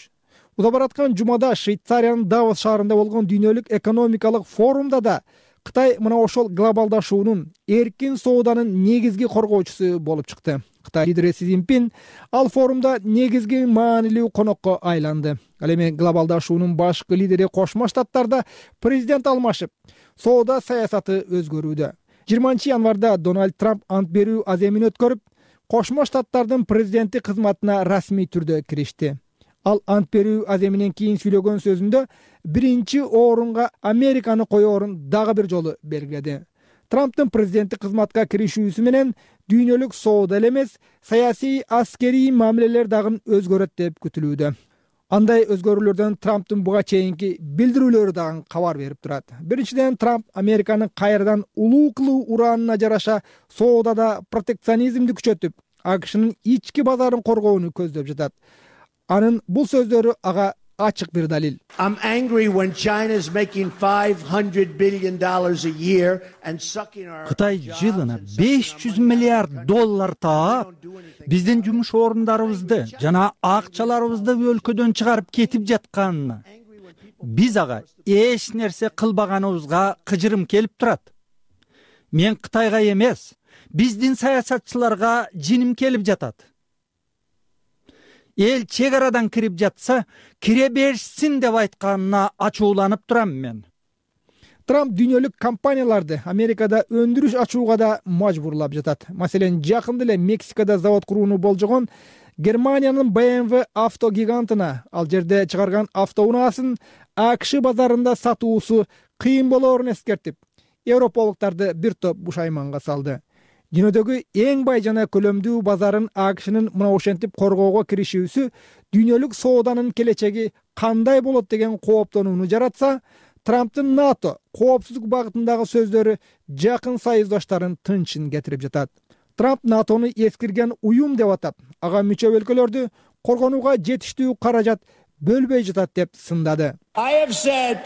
Уда бараткан жумада Швейцариянын Давос шаарында болгон дүйнөлүк экономикалык форумда да Кытай мына ошол глобалдашуунун, эркин сооданын негизги коргоочусу болуп чыкты. Кытай лидери Си Цзиньпин ал форумда негизги маанилүү конокко айланды. Ал эми глобалдашуунун башкы лидери Кошмо Штаттарда президент алмашып, соода саясаты өзгөрүүдө. жыйырманчы январда Дональд Трамп ант берүү аземин өткөрүп, Кошмо Штаттардын президенти кызматына расмий түрдө киришти. Ал ант берүү аземинен кийин сүйлөгөн сөзүндө биринчи орунга Американы коёорун дагы бир жолу белгиледи. Трамптын президенттик кызматка киришүүсү менен дүйнөлүк соода эле эмес, саясий аскерий мамилелер дагы өзгөрөт деп күтүлүүдө. Андай өзгөрүүлөрдөн Трамптын буга чейинки билдирүүлөрү дагы кабар берип турат. Биринчиден, Трамп Американы кайрадан улуу кылуу ураанына жараша соодада протекционизмди күчөтүп, АКШнын ички базарын коргоону көздөп жатат. Анын бул сөздөрү ага ачык бир далил. I'm angry when China's making five hundred billion dollars a year and sucking our Кытай жылына беш жүз миллиард доллар таап, биздин жумуш орундарыбызды жана акчаларыбызды өлкөдөн чыгарып кетип жатканына, биз ага эч нерсе кылбаганыбызга кыжырым келип турат. Мен Кытайга эмес, биздин саясатчыларга жиним келип жатат. Эл чек арадан кирип жатса, кире берсин деп айтканына ачууланып турам мен. Трамп дүйнөлүк компанияларды Америкада өндүрүш ачууга да мажбурлап жатат. Маселен, жакында эле Мексикада завод курууну болжогон Германиянын бэ эм вэ авто гигантына ал жерде чыгарган автоунаасын АКШ базарында сатуусу кыйын болоорун эскертип, европалыктарды бир топ бушайманга салды. Дүйнөдөгү эң бай жана көлөмдүү базарын АКШнын мына ошентип коргоого киришүүсү дүйнөлүк сооданын келечеги кандай болот деген кооптонууну жаратса, Трамптын НАТО коопсуздук багытындагы сөздөрү жакын союздаштарын тынчын кетирип жатат. Трамп НАТОну эскирген уюм деп атап, ага мүчө өлкөлөрдү коргонууга жетиштүү каражат бөлбөй жатат деп сындады. I have said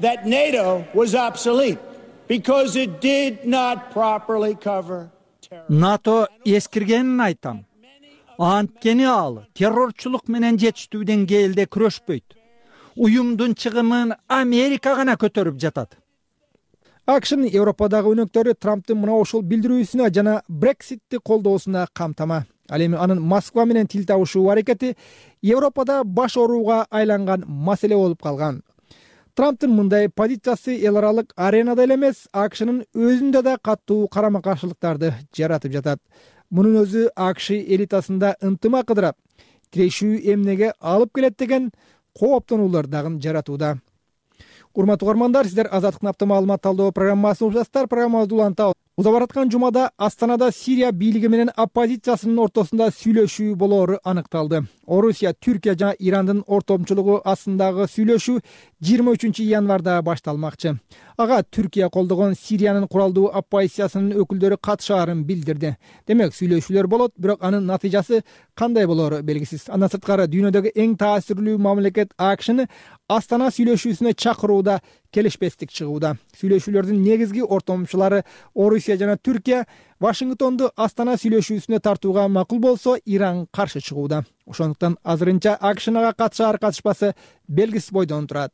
that NATO was obsolete because it did not properly cover НАТО эскиргенин айтам. Анткени ал террорчулук менен жетиштүү деңгээлде күрөшпөйт. Уюмдун чыгымын Америка гана көтөрүп жатат. АКШнын Европадагы өнөктөрү Трамптын мына ушул билдирүүсүнө жана Брекситти колдоосуна камтама. Ал эми анын Москва менен тил табышуу аракети Европада баш орууга айланган маселе болуп калган. Трамптын мындай позициясы эл аралык аренада эле эмес, АКШнын өзүндө да катуу карама-каршылыктарды жаратып жатат. Мунун өзү АКШ элитасында ынтымак ыдырап, тирешүү эмнеге алып келет деген кооптонуулар дагы жаратууда. Урматтуу угармандар, сиздер Азаттыктын апта маалымат талдоо программасын угуп жатасыздар. Программабызды улантабыз. Узап бараткан жумада Астанада Сирия бийлиги менен оппозициясынын ортосунда сүйлөшүү болоору аныкталды. Орусия, Түркия жана Ирандын ортомчулугу астындагы сүйлөшүү жыйырма үчүнчү январда башталмакчы. Ага Түркия колдогон Сириянын куралдуу оппозициясынын өкүлдөрү катышаарын билдирди. Демек, сүйлөшүүлөр болот, бирок анын натыйжасы кандай болоору белгисиз. Андан сырткары дүйнөдөгү эң таасирлүү мамлекет АКШны Астана сүйлөшүүсүнө чакырууда келишпестик чыгууда. Сүйлөшүүлөрдүн негизги ортомчулары Орусия жана Түркия Вашингтонду Астана сүйлөшүүсүнө тартууга макул болсо, Иран каршы чыгууда. Ошондуктан азырынча АКШнага катышаар катышпасы белгисиз бойдон турат.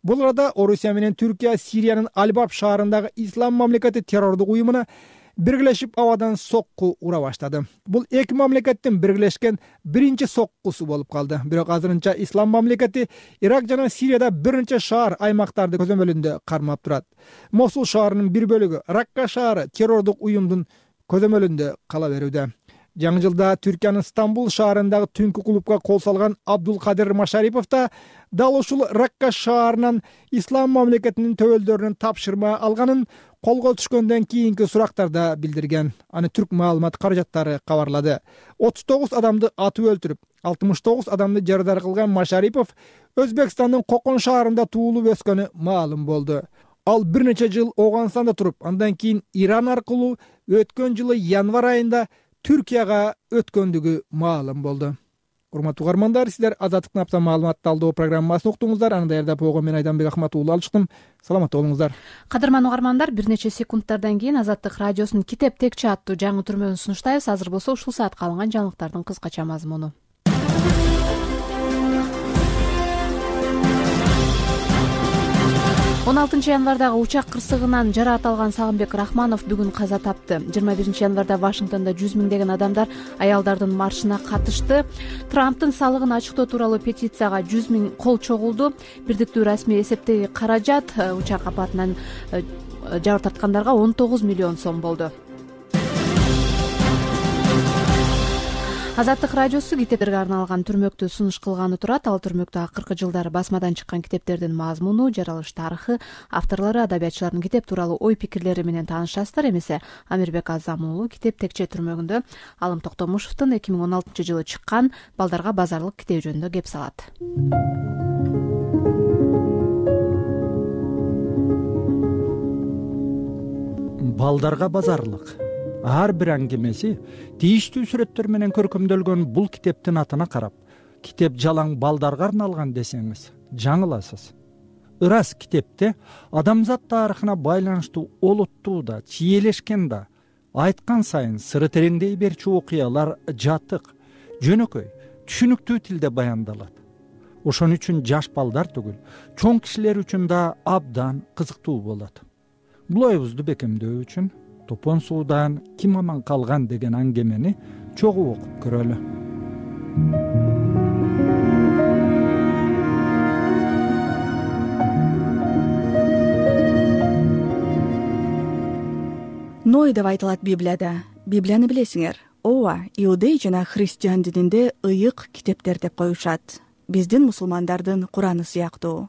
Бул арада Орусия менен Түркия Сириянын Албаб шаарындагы Ислам мамлекети террордук уюмуна биргелешип абадан сокку ура баштады. Бул эки мамлекеттин биргелешкен биринчи соккусу болуп калды. Бирок азырынча Ислам мамлекети Ирак жана Сирияда бир нече шаар аймактарды көзөмөлүндө кармап турат. Мосул шаарынын бир бөлүгү, Ракка шаары террордук уюмдун көзөмөлүндө кала берүүдө. Жаңы жылда Түркиянын Стамбул шаарындагы түнкү клубка кол салган Абдулкадир Машарипов да дал ушул Ракка шаарынан Ислам мамлекетинин төбөлдөрүнүн тапшырма алганын колго түшкөндөн кийинки сурактарда билдирген. Аны Түрк маалымат каражаттары кабарлады. отуз тогуз адамды атып өлтүрүп, алтымыш тогуз адамды жарадар кылган Машарипов Өзбекстандын Кокон шаарында туулуп өскөнү маалым болду. Ал бир нече жыл Ооганстанда туруп, андан кийин Иран аркылуу өткөн жылы январь айында Түркияга өткөндүгү маалым болду. Урматтуу угармандар, сиздер Азаттыктын апта маалымат талдоо программасын уктуңуздар. Аны даярдап койгон мен Айданбек Ахматуулу алчыктым. Саламатта болуңуздар. Кадырман угармандар, бир нече секундтардан кийин Азаттык радиосунун Китеп текче аттуу жаңы түрмөгүн сунуштайбыз. Азыр болсо ушул саатка алынган жаңылыктардын кыскача мазмуну. он алтынчы январдагы учак кырсыгынан жараат алган Сагынбек Рахманов бүгүн каза тапты. жыйырма биринчи январда Вашингтондо жүз миңдеген адамдар аялдардын маршына катышты. Трамптын салыгын ачыктоо тууралуу петицияга жүз миң кол чогулду. Бирдиктүү расмий эсептеги каражат учак апатынан жабыр тарткандарга он тогуз миллион сом болду. Азаттык радиосу китептерге арналган түрмөктү сунуш кылганы турат. Ал түрмөктө акыркы жылдары басмадан чыккан китептердин мазмуну, жаралыш тарыхы, авторлору, адабиятчылардын китеп тууралуу ой пикирлери менен таанышасыздар. Эмесе Амирбек Азам уулу Китеп Текче түрмөгүндө Алым Токтомушевдун эки миң он алтынчы жылы чыккан Балдарга базарлык китеби жөнүндө кеп салат. Балдарга базарлык ар бир аңгемеси тийиштүү сүрөттөр менен көркөмдөлгөн бул китептин атына карап, китеп жалаң балдарга арналган десеңиз жаңыласыз. Ырас китепте адамзат тарыхына байланыштуу олуттуу да, чиелешкен да, айткан сайын сыры тереңдей берчү окуялар жатык, жөнөкөй, түшүнүктүү тилде баяндалат. Ошон үчүн жаш балдар түгүл, чоң кишилер үчүн да абдан кызыктуу болот. Бул оюбузду бекемдөө үчүн Топон суудан ким аман калган деген аңгемени чогуу окуп көрөлү. Ной деп айтылат Библияда. Библияны билесиңер. Ооба, иудей жана христиан дининде ыйык китептер деп коюшат. Биздин мусулмандардын Кураны сыяктуу.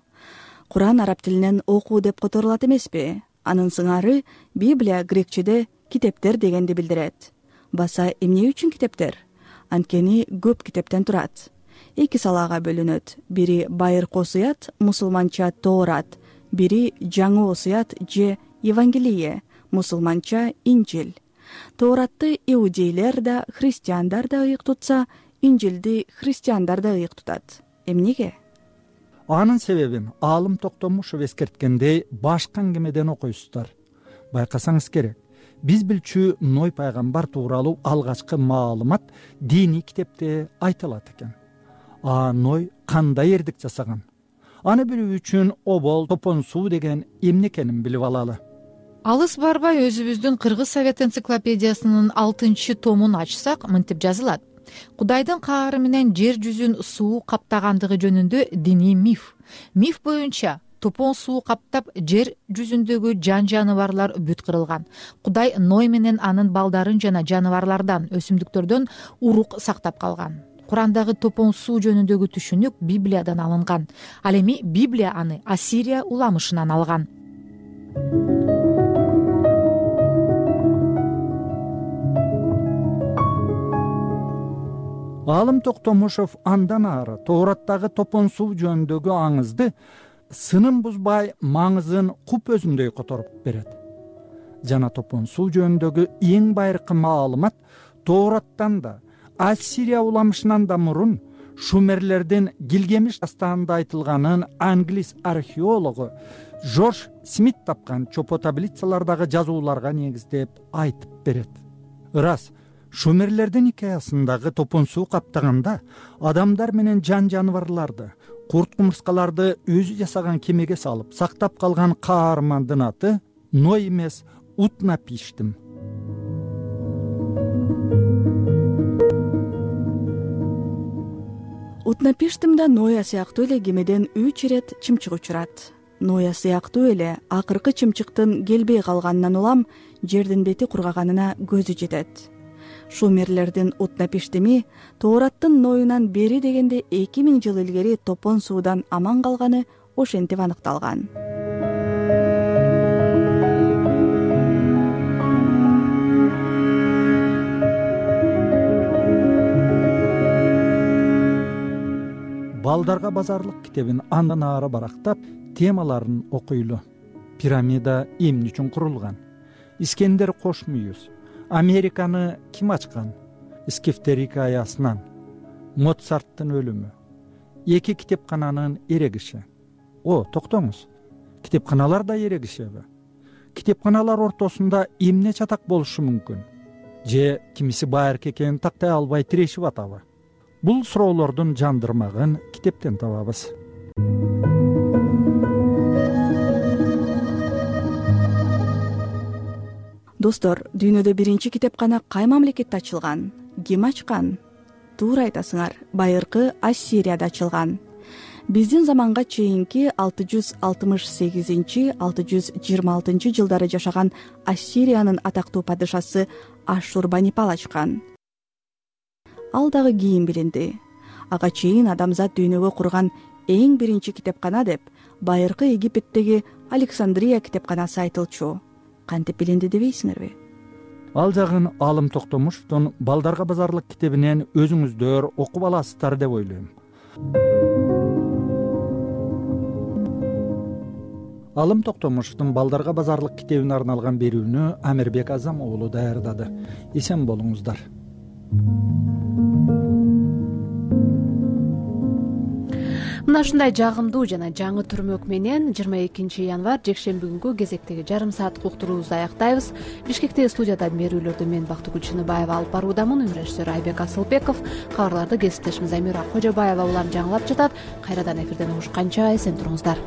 Куран араб тилинен окуу деп которулат эмеспи? Анын сыңары Библия грекчеде китептер дегенди билдирет. Баса эмне үчүн китептер? Анткени көп китептен турат. Эки салага бөлүнөт. Бири байыркы осуят, мусулманча Тоорат, бири жаңы осуят же Евангелие, мусулманча Инжил. Тооратты иудейлер да, христиандар да ыйык тутса, Инжилди христиандар да ыйык тутат. Эмнеге? Анын себебин Алым Токтомушев эскерткендей башка аңгемеден окуйсуздар. Байкасаңыз керек, биз билчү Ной пайгамбар тууралуу алгачкы маалымат диний китепте айтылат экен. А Ной кандай эрдик жасаган? Аны билүү үчүн обол, топон суу деген эмне экенин билип алалы. Алыс барбай өзүбүздүн Кыргыз Совет энциклопедиясынын алтынчы томун ачсак, мынтип жазылат. Кудайдын каары менен жер жүзүн суу каптагандыгы жөнүндө диний миф. Миф боюнча топон суу каптап жер жүзүндөгү жан жаныбарлар бүт кырылган. Кудай Ной менен анын балдарын жана жаныбарлардан, өсүмдүктөрдөн урук сактап калган. Курандагы топон суу жөнүндөгү түшүнүк Библиядан алынган. Ал эми Библия аны Ассирия уламышынан алган. Алым Токтомушев андан ары Тоораттагы топон суу жөнүндөгү аңызды сынын бузбай маңызын куп өзүндөй которуп берет. Жана топон суу жөнүндөгү эң байыркы маалымат Тоораттан да, Ассирия уламышынан да мурун Шумерлердин Гилгемиш дастанында айтылганын англис археологу Жорж Смит тапкан чопо таблицалардагы жазууларга негиздеп айтып берет. Ырас, Шумерлердин хикаясындагы топон суу каптаганда адамдар менен жан жаныбарларды, курт кумурскаларды өзү жасаган кемеге салып сактап калган каармандын аты Ной эмес, Утнапиштим. Утнапиштимде Ноя сыяктуу эле кемеден үч ирет чымчык учурат. Ноя сыяктуу эле акыркы чымчыктын келбей калганынан улам жердин бети кургаганына көзү жетет. Шумерлердин Утнапиштими Тоораттын Нойунан бери дегенде эки миң жыл илгери топон суудан аман калганы ошентип аныкталган. Балдарга базарлык китебин андан ары барактап, темаларын окуйлу. Пирамида эмне үчүн курулган? Искендер Кошмүйүз. Американы ким ачкан? Скифтер хикаясынан. Моцарттын өлүмү. Эки китепкананын эрегиши. О, токтоңуз. Китепканалар да эрегишеби? Китепканалар ортосунда эмне чатак болушу мүмкүн? Же кимиси байыркы экенин тактай албай тирешип атабы? Бул суроолордун жандырмагын китептен табабыз. Достор, дүйнөдө биринчи китепкана кай мамлекетте ачылган? Ким ачкан? Туура айтасыңар, байыркы Ассирияда ачылган. Биздин заманга чейинки алты жүз алтымыш сегизинчи — алты жүз жыйырма алтынчы жылдары жашаган Ассириянын атактуу падышасы Ашшурбанипал ачкан. ал дагы кийин билинди. Ага чейин адамзат дүйнөгө курган эң биринчи китепкана деп байыркы Египеттеги Александрия китепканасы айтылчу. Кантип билинди дебейсиңерби? Ал жагын Алым Токтомушевдун Балдарга базарлык китебинен өзүңүздөр окуп аласыздар деп ойлойм. Алым Токтомушевдун Балдарга базарлык китебине арналган берүүнү Амирбек Азам уулу даярдады. Эсен болуңуздар. Мына ушундай жагымдуу жана жаңы түрмөк менен жыйырма экинчи январь жекшемби күнгү кезектеги жарым сааттык уктуруубузду аяктайбыз. Бишкектеги студияда берүүлөрдү мен Бактыгүл Чыныбаева алып баруудамын. Режиссер Айбек Асылбеков, кабарларды кесиптешим Замира Кожобаева улам жаңылап жатат. Кайрадан эфирден угушканча эсен туруңуздар.